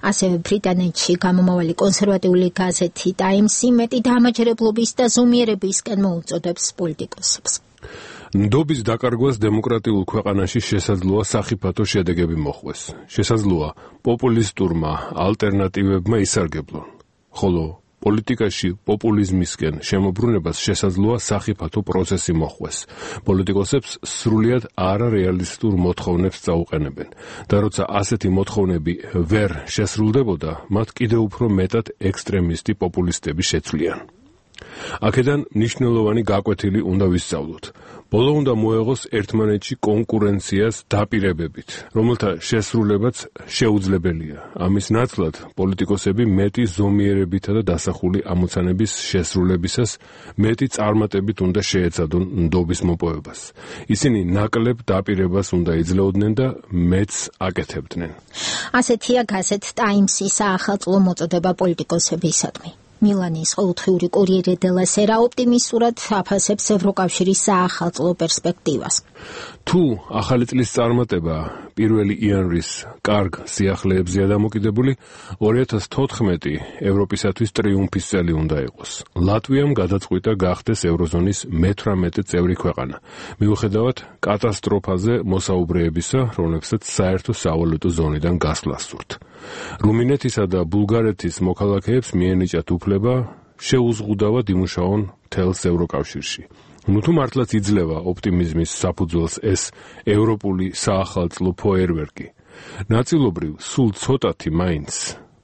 ასევე ბრიტანეთში გამომავალი კონსერვატიული გაზეთი ტაიმსი მეტი დამაჯერებლობის და ზომიერებისკენ მოუწოდებს პოლიტიკოსებს. ნდობის დაკარგვას დემოკრატიულ ქვეყანაში შესაძლოა სახიფათო შედეგები მოხვდეს. შესაძლოა პოპულისტურმა ალტერნატივებმა ისარგებლონ. ხოლო პოლიტიკაში პოპულიზმისკენ შემოbrunებას შესაძლოა სახიფათო პროცესი მოხვდეს. პოლიტიკოსებს სრულიად არარეალისტურ მოთხოვნებს წაუყენებენ და როცა ასეთი მოთხოვნები ვერ შესრულდებოდა, მათ კიდევ უფრო მეტად ექსტრემისტი პოპულისტები შეცვლიან. აქედან მნიშვნელოვანი გაკვეთილი უნდა ვისწავლოთ. ბოლო უნდა მოეღოს ერთმანეთში კონკურენციას დაპირებებით, რომელთა შესრულებაც შეუძლებელია. ამის ნაცვლად პოლიტიკოსები მეტი ზომიერებითა და დასახული ამოცანების შესრულებისას მეტი წარმატებით უნდა შეეცადონ ნდობის მოპოვებას. ისინი ნაკლებ დაპირებას უნდა იძლეოდნენ და მეც აკეთებდნენ. ასეთია გაზეთ ტაიმსის საახალწლო მოწოდება პოლიტიკოსებისადმი. მილანის ყოველდღიური კურიერე დელა სერა ოპტიმისტურად აფასებს ევროკავშირის საახალწლო პერსპექტივას. თუ ახალი წლის წარმატება 1 იანვრის კარგ სიახლეებზეა დამოკიდებული, 2014 ევროპისათვის ტრიუმფის წელი უნდა იყოს. ლატვიამ გადაწყვიტა გახდეს ევროზონის მე-18 წევრი ქვეყანა, მიუხედავად კატასტროფაზე მოსაუბრეებისა, რომლებსაც საერთო სავალუტო ზონიდან გასვლა სურთ. რუმინეთისა და ბულგარეთის მოქალაქეებს მიენიჭათ უფლება შეუზღუდავად იმუშაონ მთელს ევროკავშირში. თუ მართლაც იძლევა ოპტიმიზმის საფუძველს ეს ევროპული საახალწლო ფოიერვერკი, ნაწილობრივ სულ ცოტათი მაინც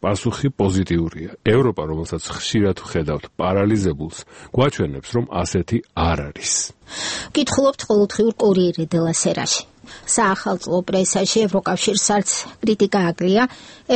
პასუხი პოზიტიურია. ევროპა, რომელსაც ხშირად ვხედავთ პარალიზებულს, გვაჩვენებს, რომ ასეთი არ არის. ვკითხულობთ ყოველდღიურ კურიერე დელა სერაში. საახალწლო პრესაში ევროკავშირს არც კრიტიკა აკლია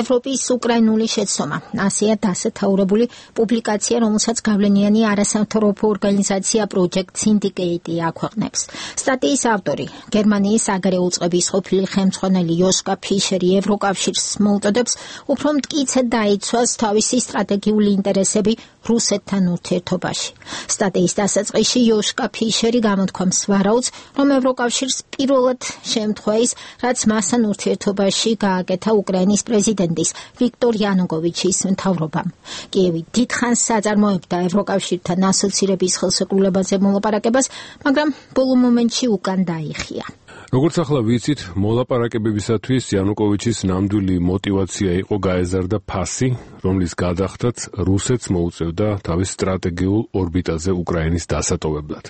ევროპის უკრაინული შეცდომა. ასეა დასათაურებული პუბლიკაცია, რომელსაც გავლენიანი არასამთავრობო ორგანიზაცია Project Syndicate აქვეყნებს. სტატიის ავტორი, გერმანიის საგარეო უწყების ყოფილი ხელმძღვანელი იოშკა ფიშერი ევროკავშირს მოუწოდებს უფრო მტკიცედ დაიცვას თავისი სტრატეგიული ინტერესები რუსეთთან ურთიერთობაში. სტატიის დასაწყისში იოშკა ფიშერი გამოთქვამს ვარაუდს, რომ ევროკავშირს პირველად შემთხვევა ის, რაც მასთან ურთიერთობაში გააკეთა უკრაინის პრეზიდენტის ვიქტორ იანუკოვიჩის მთავრობამ. კიევი დიდხანს საწარმოებდა ევროკავშირთან ასოცირების ხელშეკრულებაზე მოლაპარაკებას, მაგრამ ბოლო მომენტში უკან დაიხია. როგორც ახლა ვიცით, მოლაპარაკებებისათვის იანუკოვიჩის ნამდვილი мотиваცია იყო გაეზარდა ფასი, რომლის გადახდაც რუსეთს მოუწევდა თავის სტრატეგიულ ორბიტაზე უკრაინის დასატოვებლად.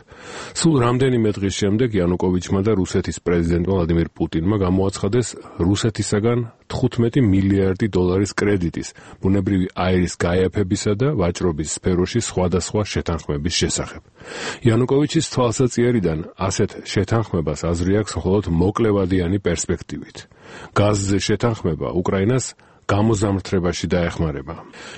სულ რამდენიმე დღის შემდეგ იანუკოვიჩმა და რუსეთის პრეზიდენტმა ვლადიმირ პუტინმა გამოაცხადეს რუსეთისაგან 15 მილიარდი დოლარის კრედიტის ბუნებრივი აირის გაიაფებისა და ვაჭრობის სფეროში სხვადასხვა შეთანხმების შესახებ. იანუკოვიჩის თვალსაჩინარიდან ასეთ შეთანხმებას აზრი აქვს მხოლოდ მოკლევადიანი პერსპექტივით. გაზზე შეთანხმება უკრაინას გამოზამთრებაში დაეხმარება.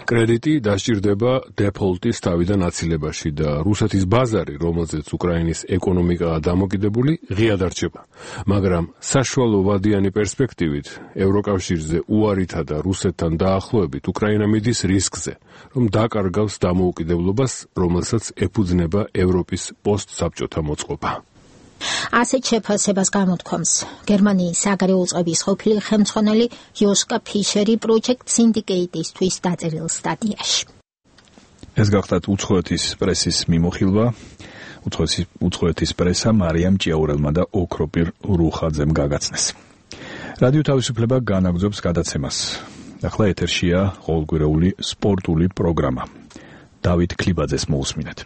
კრედიტი დასჭირდება დეფოლტის თავიდან აცილებაში და რუსეთის ბაზარი, რომელზეც უკრაინის ეკონომიკაა დამოკიდებული, ღია დარჩება. მაგრამ საშუალო ვადიანი პერსპექტივით ევროკავშირზე უარითა და რუსეთთან დაახლოებით უკრაინა მიდის რისკზე, რომ დაკარგავს დამოუკიდებლობას, რომელსაც ეფუძნება ევროპის პოსტსაბჭოთა მოწყობა. ასეთ შეფასებას გამოთქვამს გერმანიის საგარეო წყების ყოფილი ხელმძღვანელი იოშკა ფიშერი პროჯექტ სინდიკეიტისთვის დაწერილ სტატიაში. ეს გახლავთ უცხოეთის პრესის მიმოხილვა. უცხოეთის პრესა მარიამ ჭიაურელმა და ოქროპირ რუხაძემ გაგაცნეს. რადიო თავისუფლება განაგრძობს გადაცემას. ახლა ეთერშია ყოველკვირეული სპორტული პროგრამა. დავით ქლიბაძეს მოусმინეთ.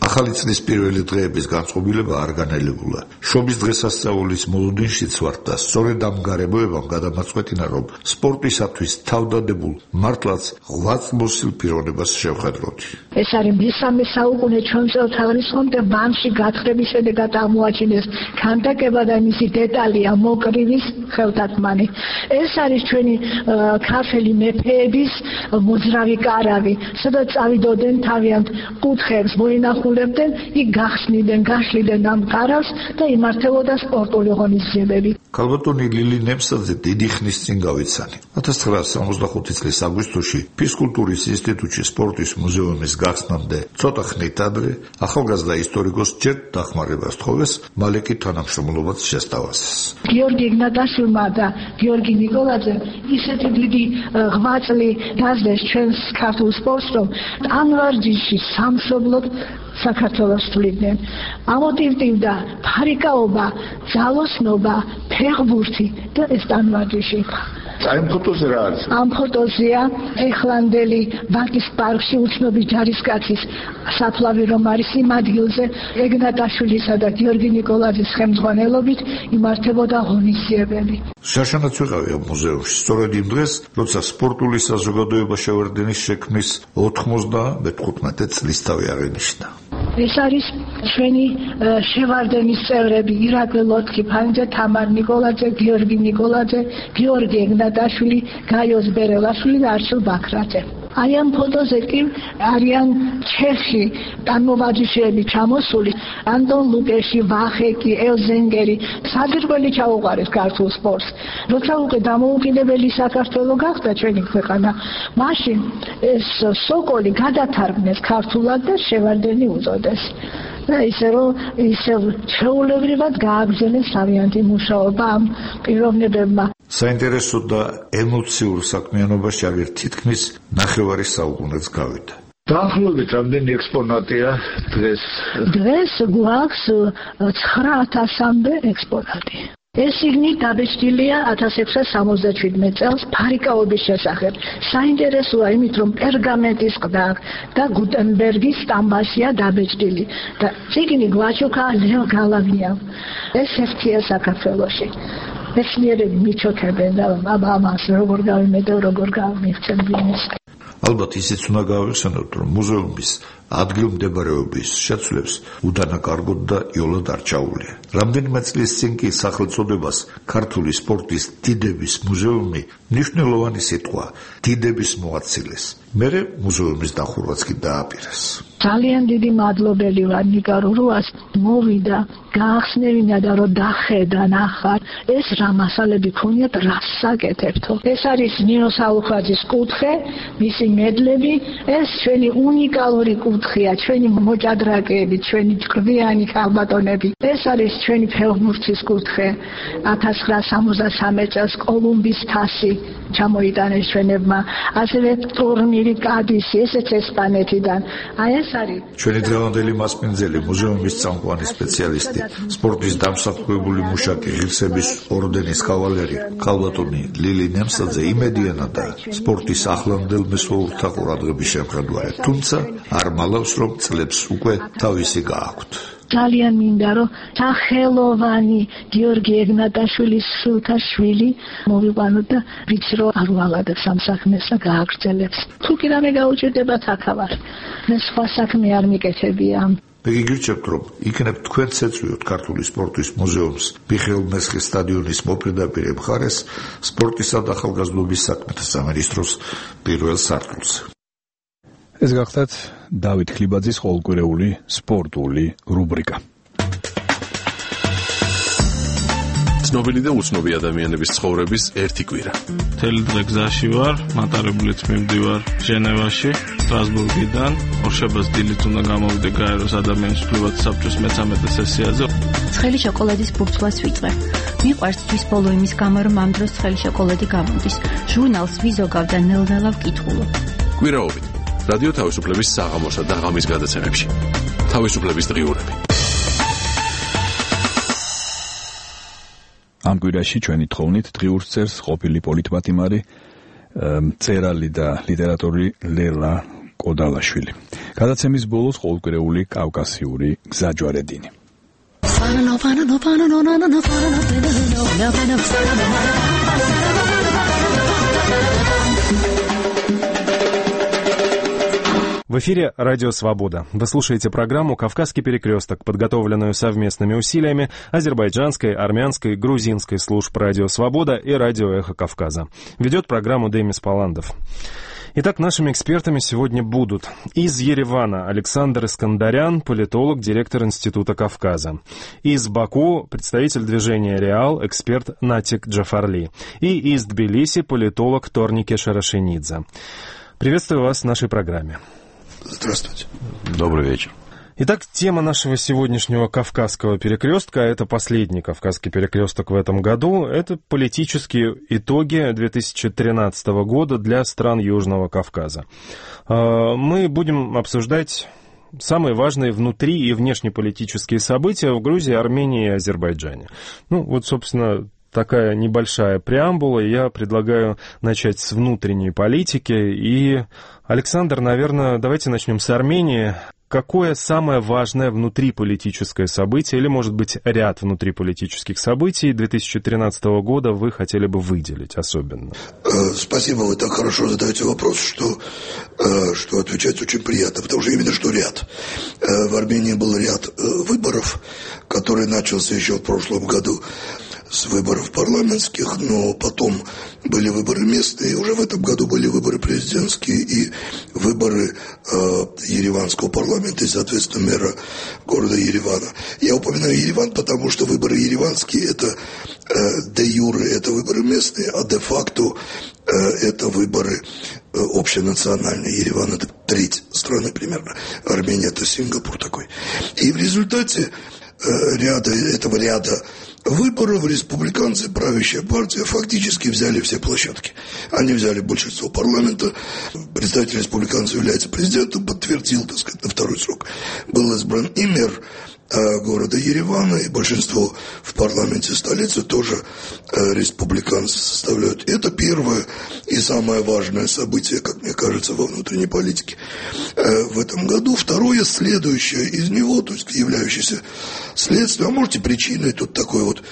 ახალი წლის პირველი დღეების განწყობილება არ განელებულა. შობის დღესასწაულის მოლოდინშიც ვართ და სწორედ ამ გარემოებამ გადამაწყვეტინა, რომ სპორტისათვის თავდადებულ მართლაც ღვაწლმოსილ პიროვნებას შევხედროთ. ეს არის მესამე საუკუნე ჩვენ წელთაღრიცხვამდე და ბანკში გათხრების შედეგად აღმოაჩინეს ქანდაკება და მისი დეტალია მოკრივის ხელთათმანი. ეს არის ჩვენი ქართული მეფეების მოძრავი კარავი, სადაც წავიდოდნენ თავიანთ კუთხეებს მოინახულობდნენ, იქ გახსნიდნენ, გაშლიდნენ ამ კარავს და იმართებოდა სპორტული ღონისძიებები. ქალბატონი ლილი ნემსაძე დიდი ხნის წინ გავიცანი. 1965 წლის აგვისტოში ფიზკულტურის ინსტიტუტში სპორტის მუზეუმის გახსნამდე ცოტა ხნით ადრე ახალგაზრდა ისტორიკოს ჯერ დახმარებას თხოვეს, მალე კი თანამშრომლობაც შესთავაზეს. გიორგი იგნატაშვილმა და გიორგი ნიკოლაძემ ისეთი დიდი ღვაწლი დაძლეს ჩვენს ქართულ სპორტს, რომ ამ ვარჯიში სამშობლოდ საქართველოს თვლიდნენ. ამოტივტივდა ფარიკაობა, ძალოსნობა, ფეხბურთი და ეს ტანვარჯიში. ამ ფოტოზე რა არის? ამ ფოტოზეა ეხლანდელი ბაკის პარკში უცნობი ჯარისკაცის საფლავი, რომ არის იმ ადგილზე ეგნატაშვილისა და გიორგი ნიკოლაძის ხელმძღვანელობით იმართებოდა ღონისძიებები. შაშანაც ვიყავი ამ მუზეუმში სწორედ იმ დღეს, როცა სპორტული საზოგადოება შევარდენის შექმნის 95 წლისთავი აღინიშნა. ეს არის ჩვენი შევარდენის წევრები: ირაკლი ლოთქიფანიძე, თამარ ნიკოლაძე, გიორგი ნიკოლაძე, გიორგი ეგნატაშვილი, გაიოს ბერელაშვილი და არჩილ ბაქრაძე. აი ამ ფოტოზე კი არიან ჩეხი ტანმოვარჯიშეები ჩამოსული, ანტონ ლუკეში, ვახეკი, ელზენგერი, საძირკველი ჩაუყარეს ქართულ სპორტს. როცა უკვე დამოუკიდებელი საქართველო გახდა ჩვენი ქვეყანა, მაშინ ეს სოკოლი გადათარგმნეს ქართულად და შევარდენი უწოდეს. და ისე რომ ჩვეულებრივად გააგრძელეს თავიანთი მუშაობა ამ პიროვნებებმა. საინტერესო და ემოციურ საქმიანობაში აღარ თითქმის ნახევარი საუკუნეც გავიდა. დაახლოებით რამდენი ექსპონატია დღეს? დღეს გვაქვს 9000-მდე ექსპონატი. ეს იგნი დაბეჭდილია 1677 წელს ფარიკაობის შესახებ. საინტერესოა იმით, რომ პერგამენტის ყდა და გუტენბერგის სტამბაშია დაბეჭდილი და წიგნი გვაჩუქა ლეო გალავიამ. ეს ერთია საქართველოში. მეცნიერები მიჩოქებენ და ამას როგორ გავიმედო, როგორ გავმიღწევ ბიზნეს. ალბათ ისიც უნდა გავიხსენოთ, რომ მუზეუმის ადგილმდებარეობის შეცვლებს უდანაკარგოდ და იოლად არ ჩაუვლია. რამდენიმე წლის წინ კი სახელწოდებას ქართული სპორტის დიდების მუზეუმი მნიშვნელოვანი სიტყვა დიდების მოაცილეს. მერე მუზეუმის დახურვაც კი დააპირეს. ძალიან დიდი მადლობელი ვარ ნიკა რურუას, მოვიდა, გაახსნევინა და რომ დახედა ნახარ, ეს რა მასალები ქონიათ, რას საკეთებთო. ეს არის ნინო საუხვაძის კუთხე, მისი მედლები, ეს ჩვენი უნიკალური კუთხე კუთხეა ჩვენი მოჭადრაკეები, ჩვენი ჭკვიანი ქალბატონები. ეს არის ჩვენი ფეხბურთის კუთხე. 1963 წელს კოლუმბის თასი ჩამოიტანეს ჩვენებმა. ასევე ტურნირი კადისი, ესეც ესპანეთიდან. აი ეს არის ჩვენი დღევანდელი მასპინძელი, მუზეუმის წამყვანი სპეციალისტი, სპორტის დამსახურებული მუშაკი, ღირსების ორდენის კავალერი, ქალბატონი ლილი ნემსაძე იმედიანა და სპორტის ახლანდელ მესვეურთა ყურადღების შემხედვარად, თუმცა არ მალავს, რომ წლებს უკვე თავისი გააქვთ. ძალიან მინდა რომ სახელოვანი გიორგი ეგნატაშვილის სულთა შვილი მოვიყვანოთ და ვიცი რომ არ ვალადებს ამ საქმეს და გააგრძელებს. თუ კი რამე გაუჭირდებათ აქავარ. მე სხვა საქმე არ მიკეთებია. მე გიგირჩევთ, რომ იქნებ თქვენც ეწვიოთ ქართული სპორტის მუზეუმს მიხეილ მესხის სტადიონის მოპირდაპირე მხარეს სპორტისა და ახალგაზრდობის საქმეთა სამინისტროს პირველ სართულზე. ეს გახლავთ დავით ხლიბაძის ყოველკვირეული სპორტული რუბრიკა. ცნობილი და უცნობი ადამიანების ცხოვრების ერთი კვირა. მთელი დღე გზაში ვარ, მატარებულით მივდივარ ჟენევაში, სტრასბურგიდან, ორშაბათს დილით უნდა გამოვიდე გაეროს ადამიანის უფლებათა საბჭოს მე-13 სესიაზე. ცხელი შოკოლადის ბურცვას ვიწვე. მიყვარს თვის ბოლო იმის გამო, რომ ამ დროს ცხელი შოკოლადი გამოდის. ჟურნალს ვიზოგავ და ნელ-ნელა ვკითხულობ. კვირაობით რადიო თავისუფლების საღამოსა და ღამის გადაცემებში. თავისუფლების დღიურები. ამ კვირაში ჩვენი თხოვნით დღიურს წერს ყოფილი პოლიტმათიმარი, მწერალი და ლიტერატორი ლელა კოდალაშვილი. გადაცემის ბოლოს ყოველკვირეული კავკასიური გზაჯვარედინი. В эфире «Радио Свобода». Вы слушаете программу «Кавказский перекресток», подготовленную совместными усилиями азербайджанской, армянской, грузинской служб «Радио Свобода» и «Радио Эхо Кавказа». Ведет программу Демис Паландов. Итак, нашими экспертами сегодня будут из Еревана Александр Искандарян, политолог, директор Института Кавказа. Из Баку представитель движения «Реал», эксперт Натик Джафарли. И из Тбилиси политолог Торнике Шарашенидзе. Приветствую вас в нашей программе. Здравствуйте. Добрый вечер. Итак, тема нашего сегодняшнего Кавказского перекрестка, это последний Кавказский перекресток в этом году, это политические итоги 2013 года для стран Южного Кавказа. Мы будем обсуждать самые важные внутри- и внешнеполитические события в Грузии, Армении и Азербайджане. Ну, вот, собственно, такая небольшая преамбула. Я предлагаю начать с внутренней политики. И, Александр, наверное, давайте начнем с Армении. Какое самое важное внутриполитическое событие, или, может быть, ряд внутриполитических событий 2013 года вы хотели бы выделить особенно? Спасибо, вы так хорошо задаете вопрос, что отвечать очень приятно, потому что именно что ряд. В Армении был ряд выборов, который начался еще в прошлом году с выборов парламентских, но потом были выборы местные, и уже в этом году были выборы президентские и выборы Ереванского парламента и, соответственно, мэра города Еревана. Я упоминаю Ереван, потому что выборы ереванские – это де юре, это выборы местные, а де факто это выборы общенациональные. Ереван – это треть страны примерно, Армения – это Сингапур такой. И в результате этого ряда выборов республиканцы, правящая партия, фактически взяли все площадки. Они взяли большинство парламента. Представитель республиканцев является президентом, подтвердил, так сказать, на второй срок. Был избран и мэр города Еревана, и большинство в парламенте столицы тоже республиканцы составляют. Это первое и самое важное событие, как мне кажется, во внутренней политике в этом году. Второе, следующее из него, то есть являющееся следствием, а может и причиной, тут такой вот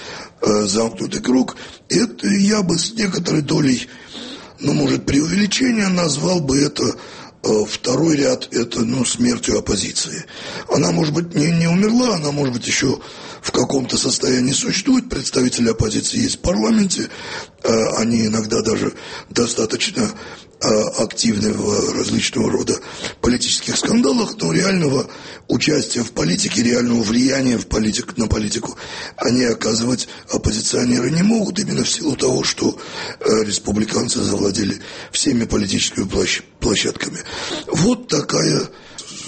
замкнутый круг, это я бы с некоторой долей, может, преувеличения назвал бы это. Второй ряд – это, смертью оппозиции. Она, может быть, не умерла, она, может быть, еще в каком-то состоянии существует. Представители оппозиции есть в парламенте. Они иногда даже достаточно активны в различного рода политических скандалах, но реального участия в политике, реального влияния на политику они оказывать оппозиционеры не могут, именно в силу того, что республиканцы завладели всеми политическими площадками. Вот такая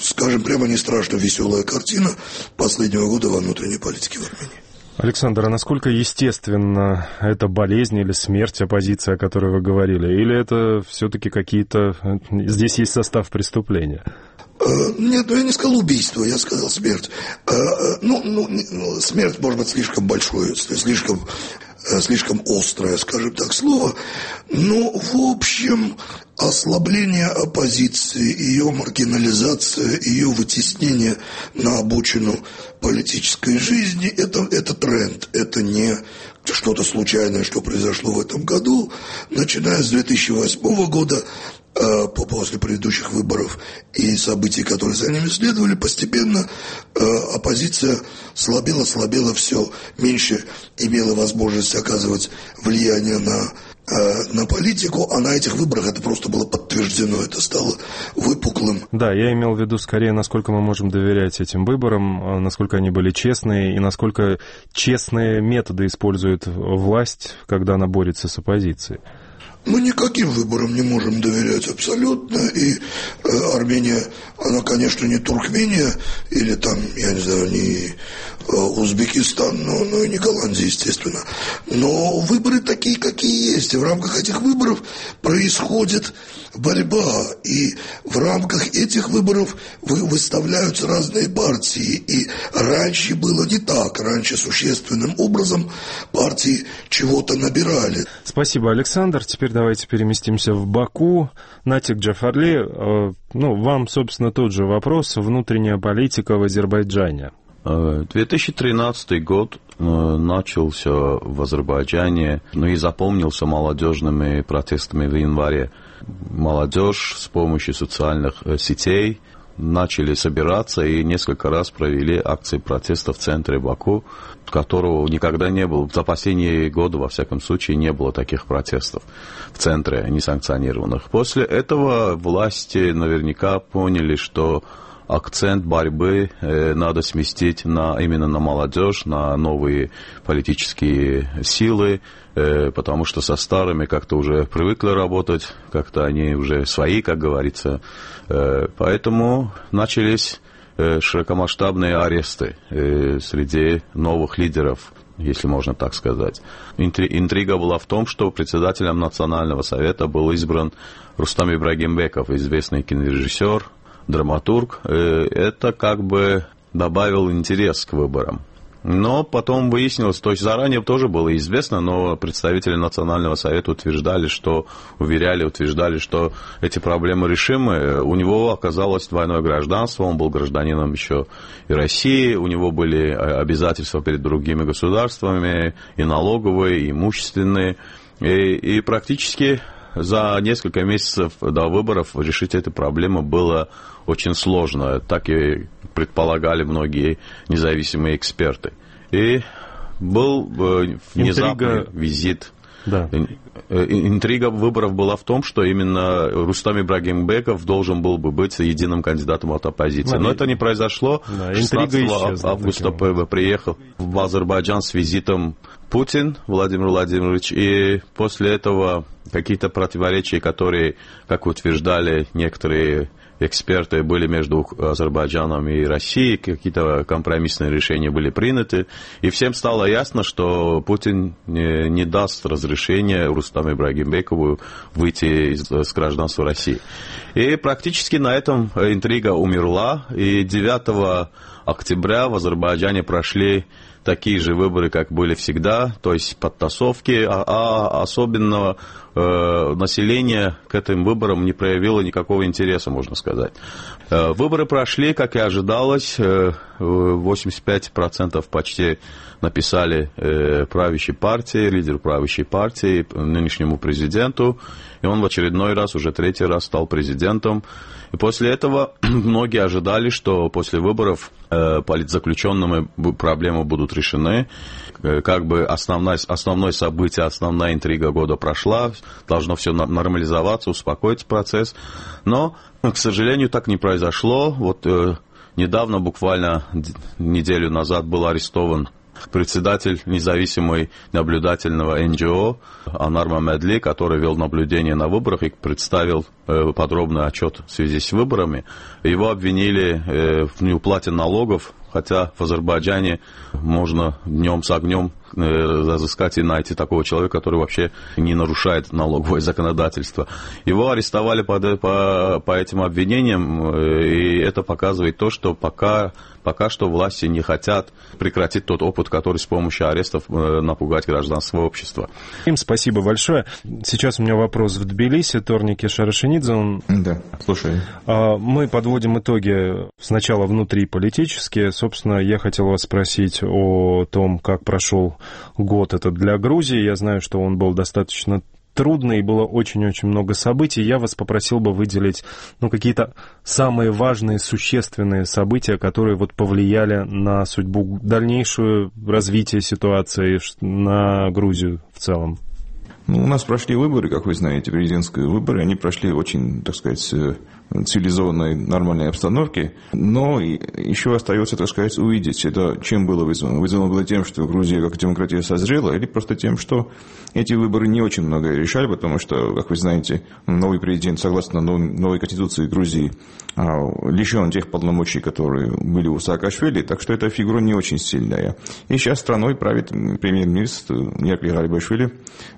скажем прямо, не страшно веселая картина последнего года во внутренней политике в Армении. Александр, а насколько естественно эта болезнь или смерть оппозиции, о которой вы говорили? Или это все-таки какие-то... Здесь есть состав преступления? Нет, я не сказал убийство, я сказал смерть. Смерть, может быть, слишком большое, слишком острое, скажем так, слово. Но, в общем, ослабление оппозиции, ее маргинализация, ее вытеснение на обочину политической жизни – это тренд, это не что-то случайное, что произошло в этом году. Начиная с 2008 года, после предыдущих выборов и событий, которые за ними следовали, постепенно оппозиция слабела, все меньше имела возможность оказывать влияние на политику, а на этих выборах это просто было подтверждено, это стало выпуклым. Да, я имел в виду скорее, насколько мы можем доверять этим выборам, насколько они были честные и насколько честные методы использует власть, когда она борется с оппозицией. Мы никаким выборам не можем доверять абсолютно, и Армения, она, конечно, не Туркмения, или там, я не знаю, не Узбекистан, но и не Голландия, естественно. Но выборы такие, какие есть, и в рамках этих выборов происходит борьба, и в рамках этих выборов выставляются разные партии, и раньше было не так, раньше существенным образом партии чего-то набирали. Спасибо, Александр. Теперь давайте переместимся в Баку. Натик Джафарли, вам, собственно, тот же вопрос. Внутренняя политика в Азербайджане. 2013 год начался в Азербайджане, и запомнился молодежными протестами в январе. Молодежь с помощью социальных сетей начали собираться и несколько раз провели акции протеста в центре Баку, которого никогда не было. За последние годы, во всяком случае, не было таких протестов в центре несанкционированных. После этого власти наверняка поняли, что акцент борьбы надо сместить именно на молодежь, на новые политические силы, потому что со старыми как-то уже привыкли работать, как-то они уже свои, как говорится. Поэтому начались широкомасштабные аресты среди новых лидеров, если можно так сказать. Интрига была в том, что председателем Национального совета был избран Рустам Ибрагимбеков, известный кинорежиссер, драматург. Это как бы добавил интерес к выборам. Но потом выяснилось, то есть заранее тоже было известно, но представители Национального совета утверждали, что что эти проблемы решимы. У него оказалось двойное гражданство, он был гражданином еще и России, у него были обязательства перед другими государствами, и налоговые, и имущественные, и практически за несколько месяцев до выборов решить эту проблему было очень сложно. Так и предполагали многие независимые эксперты. И был внезапный визит. Да. Интрига выборов была в том, что именно Рустам Ибрагимбеков должен был бы быть единым кандидатом от оппозиции. Но это не произошло. Да, 16 августа приехал в Азербайджан с визитом Путин Владимир Владимирович, и после этого какие-то противоречия, которые, как утверждали некоторые эксперты, были между Азербайджаном и Россией, какие-то компромиссные решения были приняты, и всем стало ясно, что Путин не даст разрешения Рустаму Ибрагимбекову выйти с гражданства России. И практически на этом интрига умерла, и 9 октября в Азербайджане прошли такие же выборы, как были всегда, то есть подтасовки, а особенно население к этим выборам не проявило никакого интереса, можно сказать. Выборы прошли, как и ожидалось, 85% почти написали правящей партии, лидеру правящей партии, нынешнему президенту, и он в очередной раз, уже 3-й раз стал президентом. И после этого многие ожидали, что после выборов политзаключенными проблемы будут решены. Как бы основное событие, основная интрига года прошла, должно все нормализоваться, успокоить процесс. Но, к сожалению, так не произошло. Вот недавно, буквально неделю назад, был арестован председатель независимой наблюдательного НГО Анар Мамедли, который вел наблюдение на выборах и представил подробный отчет в связи с выборами. Его обвинили в неуплате налогов, хотя в Азербайджане можно днем с огнем разыскать и найти такого человека, который вообще не нарушает налоговое законодательство. Его арестовали по этим обвинениям, и это показывает то, что пока что власти не хотят прекратить тот опыт, который с помощью арестов напугать гражданское общество. Им спасибо большое. Сейчас у меня вопрос в Тбилиси. Торники Шарашенидзе. Да, слушай. Мы подводим итоги сначала внутриполитические. Собственно, я хотел вас спросить о том, как прошел год этот для Грузии. Я знаю, что он был достаточно трудный, и было очень-очень много событий. Я вас попросил бы выделить какие-то самые важные, существенные события, которые повлияли на судьбу, дальнейшее развитие ситуации на Грузию в целом. У нас прошли выборы, как вы знаете, президентские выборы. Они прошли очень, так сказать, цивилизованной, нормальной обстановке. Но еще остается, так сказать, увидеть, это чем было вызвано. Вызвано было тем, что Грузия как демократия созрела, или просто тем, что эти выборы не очень многое решали, потому что, как вы знаете, новый президент, согласно новой конституции Грузии, лишен тех полномочий, которые были у Саакашвили, так что эта фигура не очень сильная. И сейчас страной правит премьер-министр Ираклий Гарибашвили,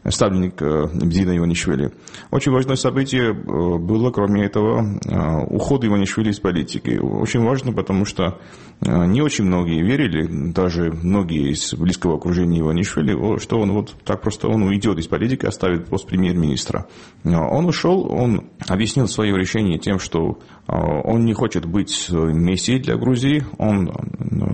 ставленник Бедина Иванишвили. Очень важное событие было, кроме этого, уход Иванишвили из политики. Очень важно, потому что не очень многие верили, даже многие из близкого окружения Иванишвили, что он так просто уйдет из политики, оставит пост премьер-министра. Он ушел, он объяснил свое решение тем, что он не хочет быть мессией для Грузии. Он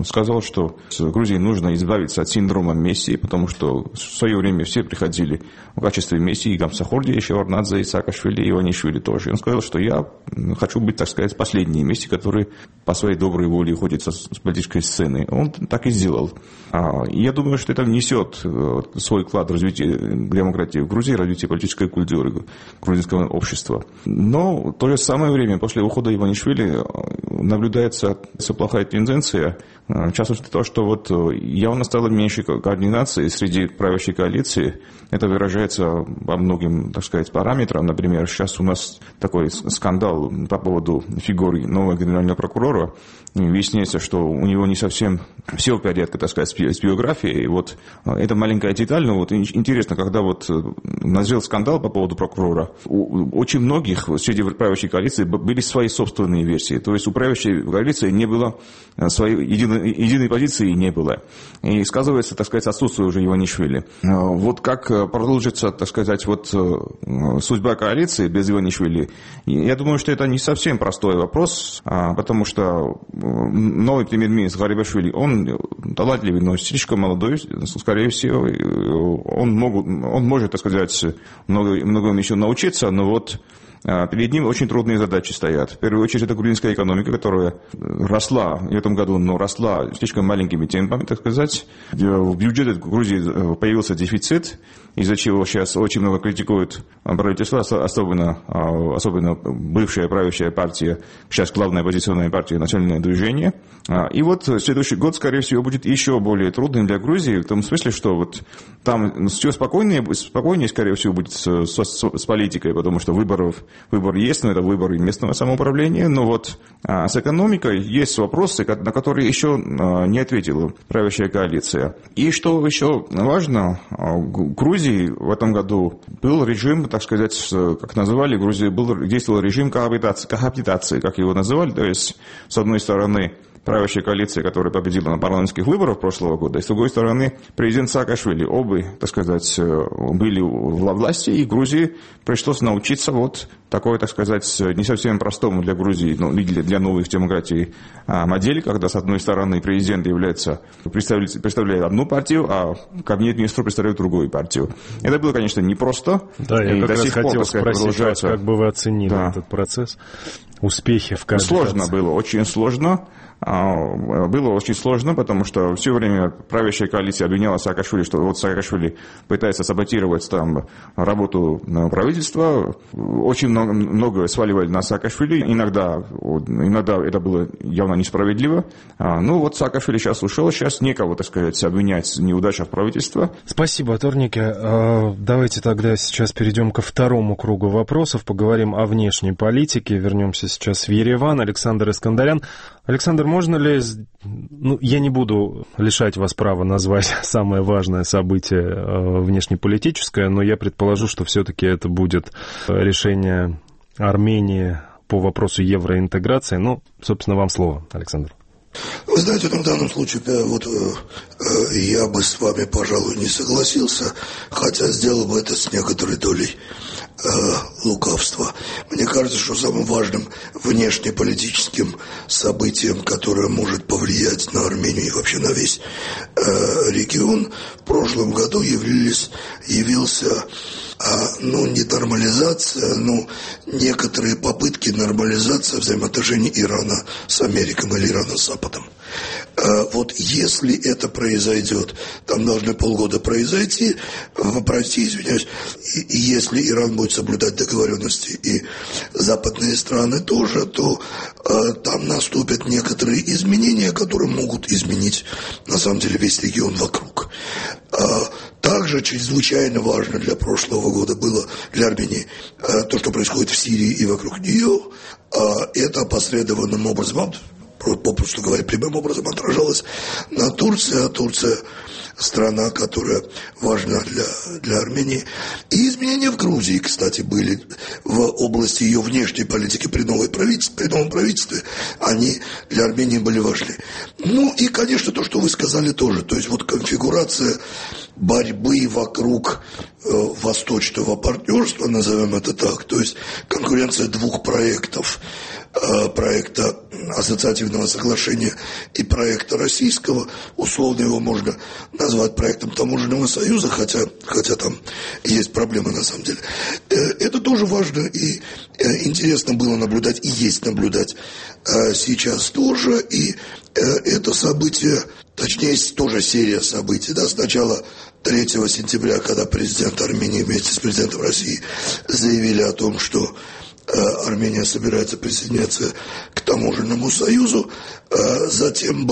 сказал, что Грузии нужно избавиться от синдрома мессии, потому что в свое время все приходили в качестве мессии, Гамсахорди, Шеварднадзе, и Саакашвили, и Иванишвили тоже. Он сказал, что я хочу быть, так сказать, последней мессией, который по своей доброй воле уходит с политической сцены. Он так и сделал. Я думаю, что это внесет свой вклад в развитие демократии в Грузии, развитие политической культуры грузинского общества. Но в то же самое время, после ухода Иванишвили, наблюдается плохая тенденция, в частности, то, что явно стало меньше координации среди правящей коалиции. Это выражается по многим, так сказать, параметрам. Например, сейчас у нас такой скандал по поводу фигуры нового генерального прокурора. Выясняется, что у него не совсем все в порядке, так сказать, с биографией. Это маленькая деталь, но интересно, когда назрел скандал по поводу прокурора, у очень многих среди правящей коалиции были свои собственные версии. То есть у правящей коалиции не было своей единой позиции, не было. И сказывается, так сказать, отсутствие уже Иванишвили. Как продолжится, так сказать, судьба коалиции без Иванишвили, я думаю, что это не совсем простой вопрос, потому что новый премьер-министр Гарибашвили, он талантливый, но слишком молодой, скорее всего, он может, так сказать, многому еще научиться, но перед ним очень трудные задачи стоят. В первую очередь, это грузинская экономика, которая росла в этом году, но росла слишком маленькими темпами, так сказать. В бюджете Грузии появился дефицит, из-за чего сейчас очень много критикуют правительство, особенно бывшая правящая партия, сейчас главная оппозиционная партия «Национальное движение». И следующий год, скорее всего, будет еще более трудным для Грузии, в том смысле, что там все спокойнее, скорее всего, будет с политикой, потому что выбор есть, но это выборы местного самоуправления, но с экономикой есть вопросы, на которые еще не ответила правящая коалиция. И что еще важно, в Грузии в этом году был режим, так сказать, как называли, в Грузии действовал режим коабитации, как его называли, то есть, с одной стороны, правящая коалиция, которая победила на парламентских выборах прошлого года, и с другой стороны президент Саакашвили. Оба, так сказать, были во власти, и Грузии пришлось научиться такой, так сказать, не совсем простому для Грузии, для новых демократий модели, когда с одной стороны президент представляет одну партию, а кабинет-министр представляет другую партию. Это было, конечно, непросто. Да, я как раз хотел спросить вас, как бы вы оценили этот процесс, успехи в коабитации. Сложно было, очень сложно. было очень сложно, потому что все время правящая коалиция обвиняла Саакашвили, что вот Саакашвили пытается саботировать там работу правительства. Очень много сваливали на Саакашвили. Иногда это было явно несправедливо. Ну вот Саакашвили сейчас ушел, сейчас некого, так сказать, обвинять в неудачах правительства. Спасибо, Торнике. Давайте тогда сейчас перейдем ко второму кругу вопросов. Поговорим о внешней политике. Вернемся сейчас в Ереван. Александр Искандарян. Александр, можно ли... я не буду лишать вас права назвать самое важное событие внешнеполитическое, но я предположу, что все-таки это будет решение Армении по вопросу евроинтеграции. Собственно, вам слово, Александр. Вы знаете, в данном случае я бы с вами, пожалуй, не согласился, хотя сделал бы это с некоторой долей лукавства. Мне кажется, что самым важным внешнеполитическим событием, которое может повлиять на Армению и вообще на весь регион, в прошлом году явился не нормализация, некоторые попытки нормализации взаимоотношений Ирана с Америкой или Ирана с Западом. Вот если это произойдет, там должны полгода пройти, и если Иран будет соблюдать договоренности и западные страны тоже, то там наступят некоторые изменения, которые могут изменить на самом деле весь регион вокруг. Также чрезвычайно важно для прошлого года было для Армении то, что происходит в Сирии и вокруг нее. Это опосредованным образом, попросту говоря, прямым образом отражалось на Турции, а Турция страна, которая важна для Армении. И изменения в Грузии, кстати, были в области ее внешней политики при новом правительстве, они для Армении были важны. И, конечно, то, что вы сказали тоже, то есть конфигурация борьбы вокруг восточного партнерства, назовем это так, то есть конкуренция двух проектов, проекта ассоциативного соглашения и проекта российского, условно его можно назвать проектом таможенного союза, хотя там есть проблемы на самом деле. Это тоже важно и интересно было наблюдать, и есть наблюдать сейчас тоже, и это событие, точнее, тоже серия событий, сначала 3 сентября, когда президент Армении вместе с президентом России заявили о том, что Армения собирается присоединяться к таможенному союзу. Затем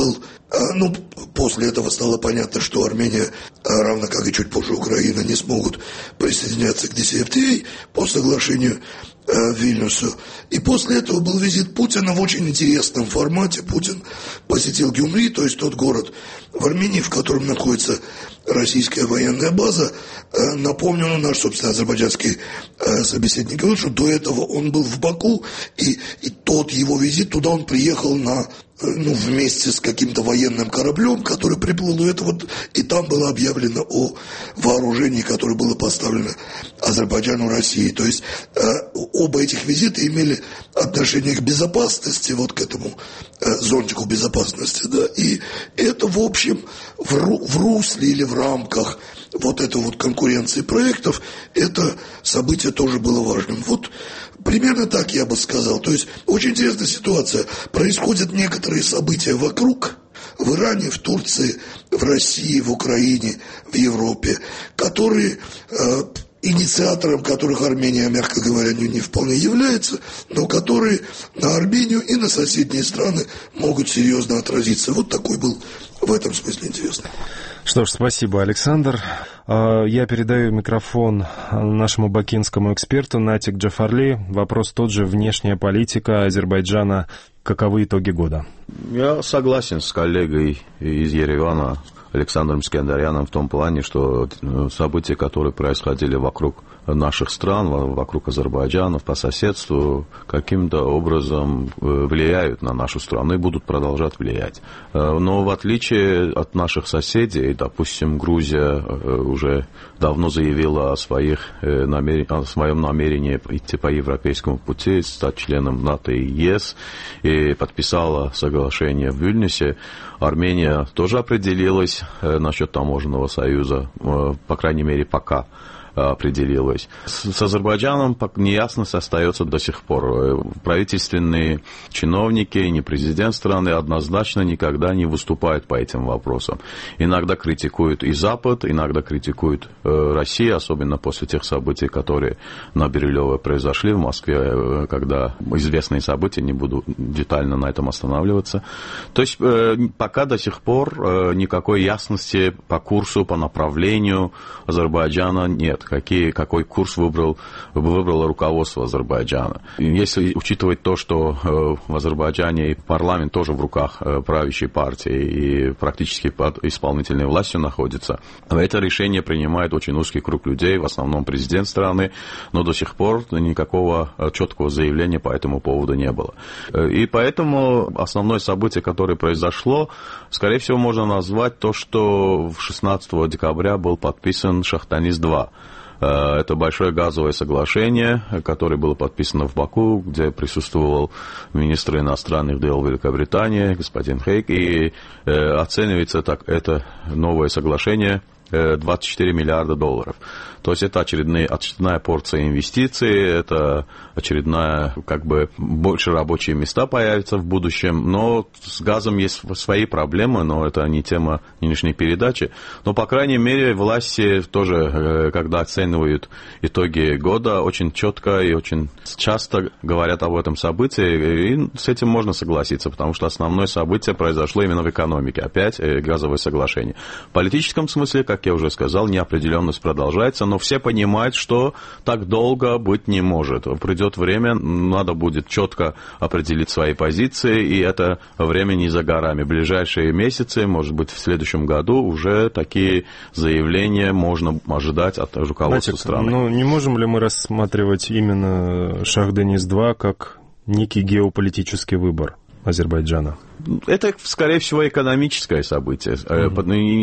после этого стало понятно, что Армения, равно как и чуть позже Украина, не смогут присоединяться к DCFTA по соглашению в Вильнюсу. И после этого был визит Путина в очень интересном формате. Путин посетил Гюмри, то есть тот город в Армении, в котором находится российская военная база. Напомню, наш, собственно, азербайджанский собеседник говорил, что до этого он был в Баку, и тот его визит, туда он приехал вместе с каким-то военным кораблем, который приплыл, и там было объявлено о вооружении, которое было поставлено Азербайджану России. То есть оба этих визита имели отношение к безопасности, к этому зонтику безопасности, и это, в общем, в русле или в рамках этой конкуренции проектов, это событие тоже было важным. Примерно так я бы сказал. То есть очень интересная ситуация. Происходят некоторые события вокруг, в Иране, в Турции, в России, в Украине, в Европе, которые, инициатором которых Армения, мягко говоря, не вполне является, но которые на Армению и на соседние страны могут серьезно отразиться. Такой был в этом смысле интересный. Что ж, спасибо, Александр. Я передаю микрофон нашему бакинскому эксперту Натик Джафарли. Вопрос тот же: внешняя политика Азербайджана. Каковы итоги года? Я согласен с коллегой из Еревана Александром Искандаряном в том плане, что события, которые происходили вокруг наших стран, вокруг Азербайджана, по соседству, каким-то образом влияют на нашу страну и будут продолжать влиять. Но в отличие от наших соседей, допустим, Грузия уже давно заявила о своем намерении идти по европейскому пути, стать членом НАТО и ЕС, и подписала соглашение в Вильнюсе. Армения тоже определилась насчет таможенного союза, по крайней мере, пока. определилось. С Азербайджаном неясность остается до сих пор. Правительственные чиновники, не президент страны однозначно никогда не выступают по этим вопросам. Иногда критикуют и Запад, иногда критикуют Россию, особенно после тех событий, которые на Бирюлево произошли в Москве, когда известные события, не буду детально на этом останавливаться. То есть пока до сих пор никакой ясности по курсу, по направлению Азербайджана нет. Какой курс выбрало руководство Азербайджана. Если учитывать то, что в Азербайджане и парламент тоже в руках правящей партии и практически под исполнительной властью находится, это решение принимает очень узкий круг людей, в основном президент страны, но до сих пор никакого четкого заявления по этому поводу не было. И поэтому основное событие, которое произошло, скорее всего, можно назвать то, что 16 декабря был подписан Шахтанис-2. Это большое газовое соглашение, которое было подписано в Баку, где присутствовал министр иностранных дел Великобритании, господин Хейк, и оценивается так, это новое соглашение 24 миллиарда долларов. То есть это очередная порция инвестиций, это очередная, больше рабочие места появятся в будущем, но с газом есть свои проблемы, но это не тема нынешней передачи. Но, по крайней мере, власти тоже, когда оценивают итоги года, очень четко и очень часто говорят об этом событии, и с этим можно согласиться, потому что основное событие произошло именно в экономике, опять газовое соглашение. В политическом смысле, как я уже сказал, неопределенность продолжается, но все понимают, что так долго быть не может. Придет время, надо будет четко определить свои позиции, и это время не за горами. В ближайшие месяцы, может быть, в следующем году уже такие заявления можно ожидать от руководства страны. Ну, не можем ли мы рассматривать именно Шахтанис-2 как некий геополитический выбор Азербайджана? Это, скорее всего, экономическое событие.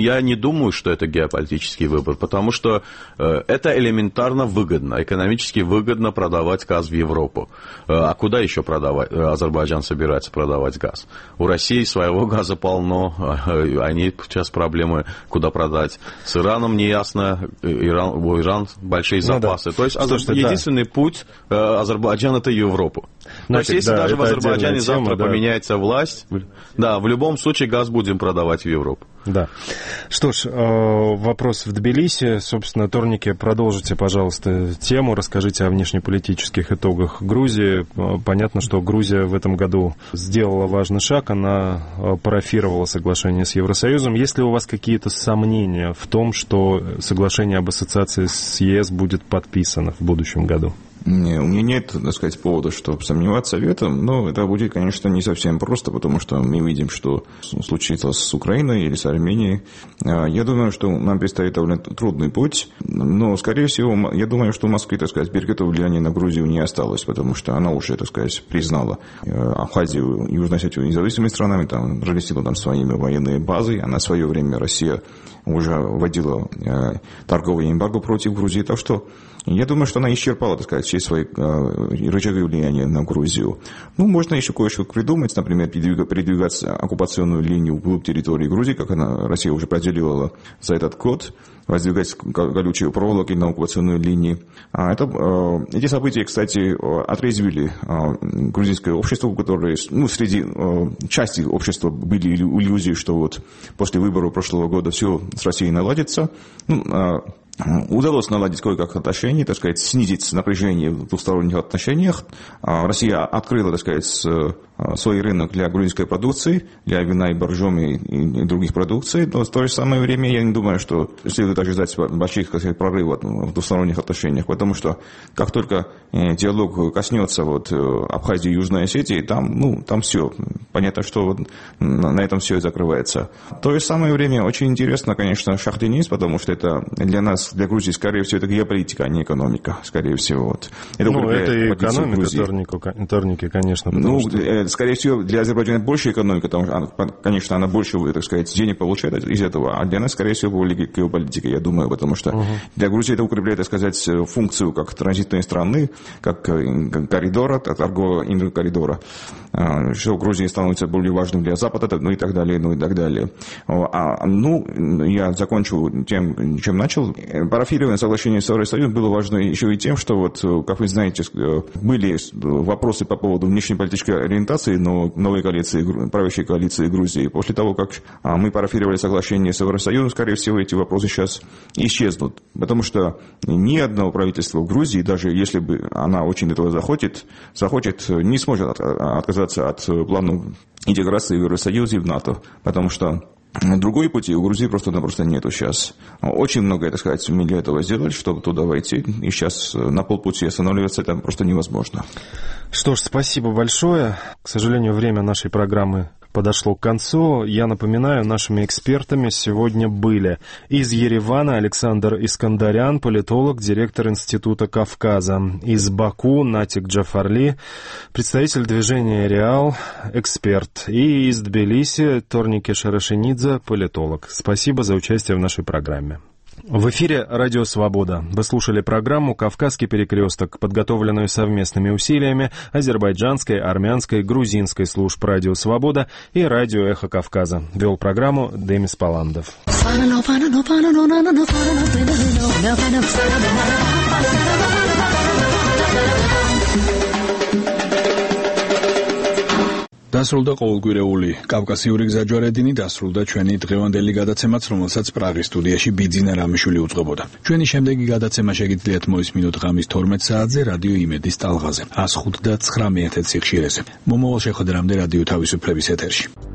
Я не думаю, что это геополитический выбор, потому что это элементарно выгодно. Экономически выгодно продавать газ в Европу. А куда еще продавать? Азербайджан собирается продавать газ. У России своего газа полно. Они сейчас проблемы, куда продать. С Ираном неясно. У Ирана большие запасы. То есть единственный путь Азербайджана — это Европу. То есть если даже в Азербайджане завтра поменяется власть, да, в любом случае газ будем продавать в Европу. Да. Что ж, вопрос в Тбилиси. Собственно, Торнике, продолжите, пожалуйста, тему. Расскажите о внешнеполитических итогах Грузии. Понятно, что Грузия в этом году сделала важный шаг. Она парафировала соглашение с Евросоюзом. Есть ли у вас какие-то сомнения в том, что соглашение об ассоциации с ЕС будет подписано в будущем году? Не, у меня нет, так сказать, повода, чтобы сомневаться в этом, но это будет, конечно, не совсем просто, потому что мы видим, что случится с Украиной или с Арменией. Я думаю, что нам предстоит довольно трудный путь, но, скорее всего, я думаю, что у Москвы, так сказать, перекрытого влияния на Грузию не осталось, потому что она уже, так сказать, признала Абхазию и Южную Осетию независимыми странами, там, разместила там своими военные базы, а на свое время Россия уже вводила торговое эмбарго против Грузии, так что я думаю, что она исчерпала, так сказать, все свои рычаги влияния на Грузию. Ну, можно еще кое-что придумать, например, передвигать оккупационную линию вглубь территории Грузии, как Россия уже проделила за этот год, воздвигать колючие проволоки на оккупационной линии. Эти события, кстати, отрезвили грузинское общество, которое, среди части общества были иллюзии, что вот после выборов прошлого года все с Россией наладится. Удалось наладить кое-как отношения, так сказать, снизить напряжение в двусторонних отношениях. Россия открыла, так сказать, свой рынок для грузинской продукции, для вина и боржоми и других продукций. Но в то же самое время я не думаю, что следует ожидать больших, так сказать, прорывов в двусторонних отношениях, потому что как только диалог коснется Абхазии и Южной Осетии, там все. Понятно, что на этом все и закрывается. В то же самое время очень интересно, конечно, Шахтанис, потому что это для нас, для Грузии, скорее всего, это геополитика, а не экономика, скорее всего. Это и экономика Торники, конечно. Скорее всего, для Азербайджана больше экономика, потому что, конечно, она больше, так сказать, денег получает из этого, а для нас, скорее всего, более геополитика, я думаю, потому что для Грузии это укрепляет, так сказать, функцию как транзитной страны, как коридора, торгового коридора, что Грузия стала становятся более важным для Запада, ну и так далее, ну и так далее. Я закончу тем, чем начал. Парафирование соглашения с Евросоюзом было важно еще и тем, что вот, как вы знаете, были вопросы по поводу внешнеполитической ориентации новой коалиции, правящей коалиции Грузии. После того, как мы парафировали соглашение с Евросоюзом, скорее всего, эти вопросы сейчас исчезнут. Потому что ни одно правительство в Грузии, даже если бы она очень этого захочет, не сможет отказаться от планов интеграции в Евросоюз и в НАТО. Потому что другой пути у Грузии просто-напросто нету сейчас. Очень многое, так сказать, мы для этого сделали, чтобы туда войти. И сейчас на полпути останавливаться это просто невозможно. Что ж, спасибо большое. К сожалению, время нашей программы подошло к концу. Я напоминаю, нашими экспертами сегодня были из Еревана Александр Искандарян, политолог, директор Института Кавказа, из Баку Натик Джафарли, представитель движения «Реал», эксперт, и из Тбилиси Торники Шарашенидзе, политолог. Спасибо за участие в нашей программе. В эфире «Радио Свобода». Вы слушали программу «Кавказский перекресток», подготовленную совместными усилиями азербайджанской, армянской, грузинской служб «Радио Свобода» и «Радио Эхо Кавказа». Вел программу Демис Паландов. დასრულდა ყოველკვირეული კავკასიური გზაჯვარედინი, დასრულდა ჩვენი დღევანდელი გადაცემაც, რომელსაც პრაღის სტუდიაში ბიძინა რამიშვილი უწყობოდა. ჩვენი შემდეგი გადაცემა შეგიძლიათ მოისმინოთ ღამის 12 საათზე რადიო იმედის ტალღაზე 105.9 MHz სიხშირეზე. მომავალ შეხვედრამდე რადიო თავისუფლების ეთერში.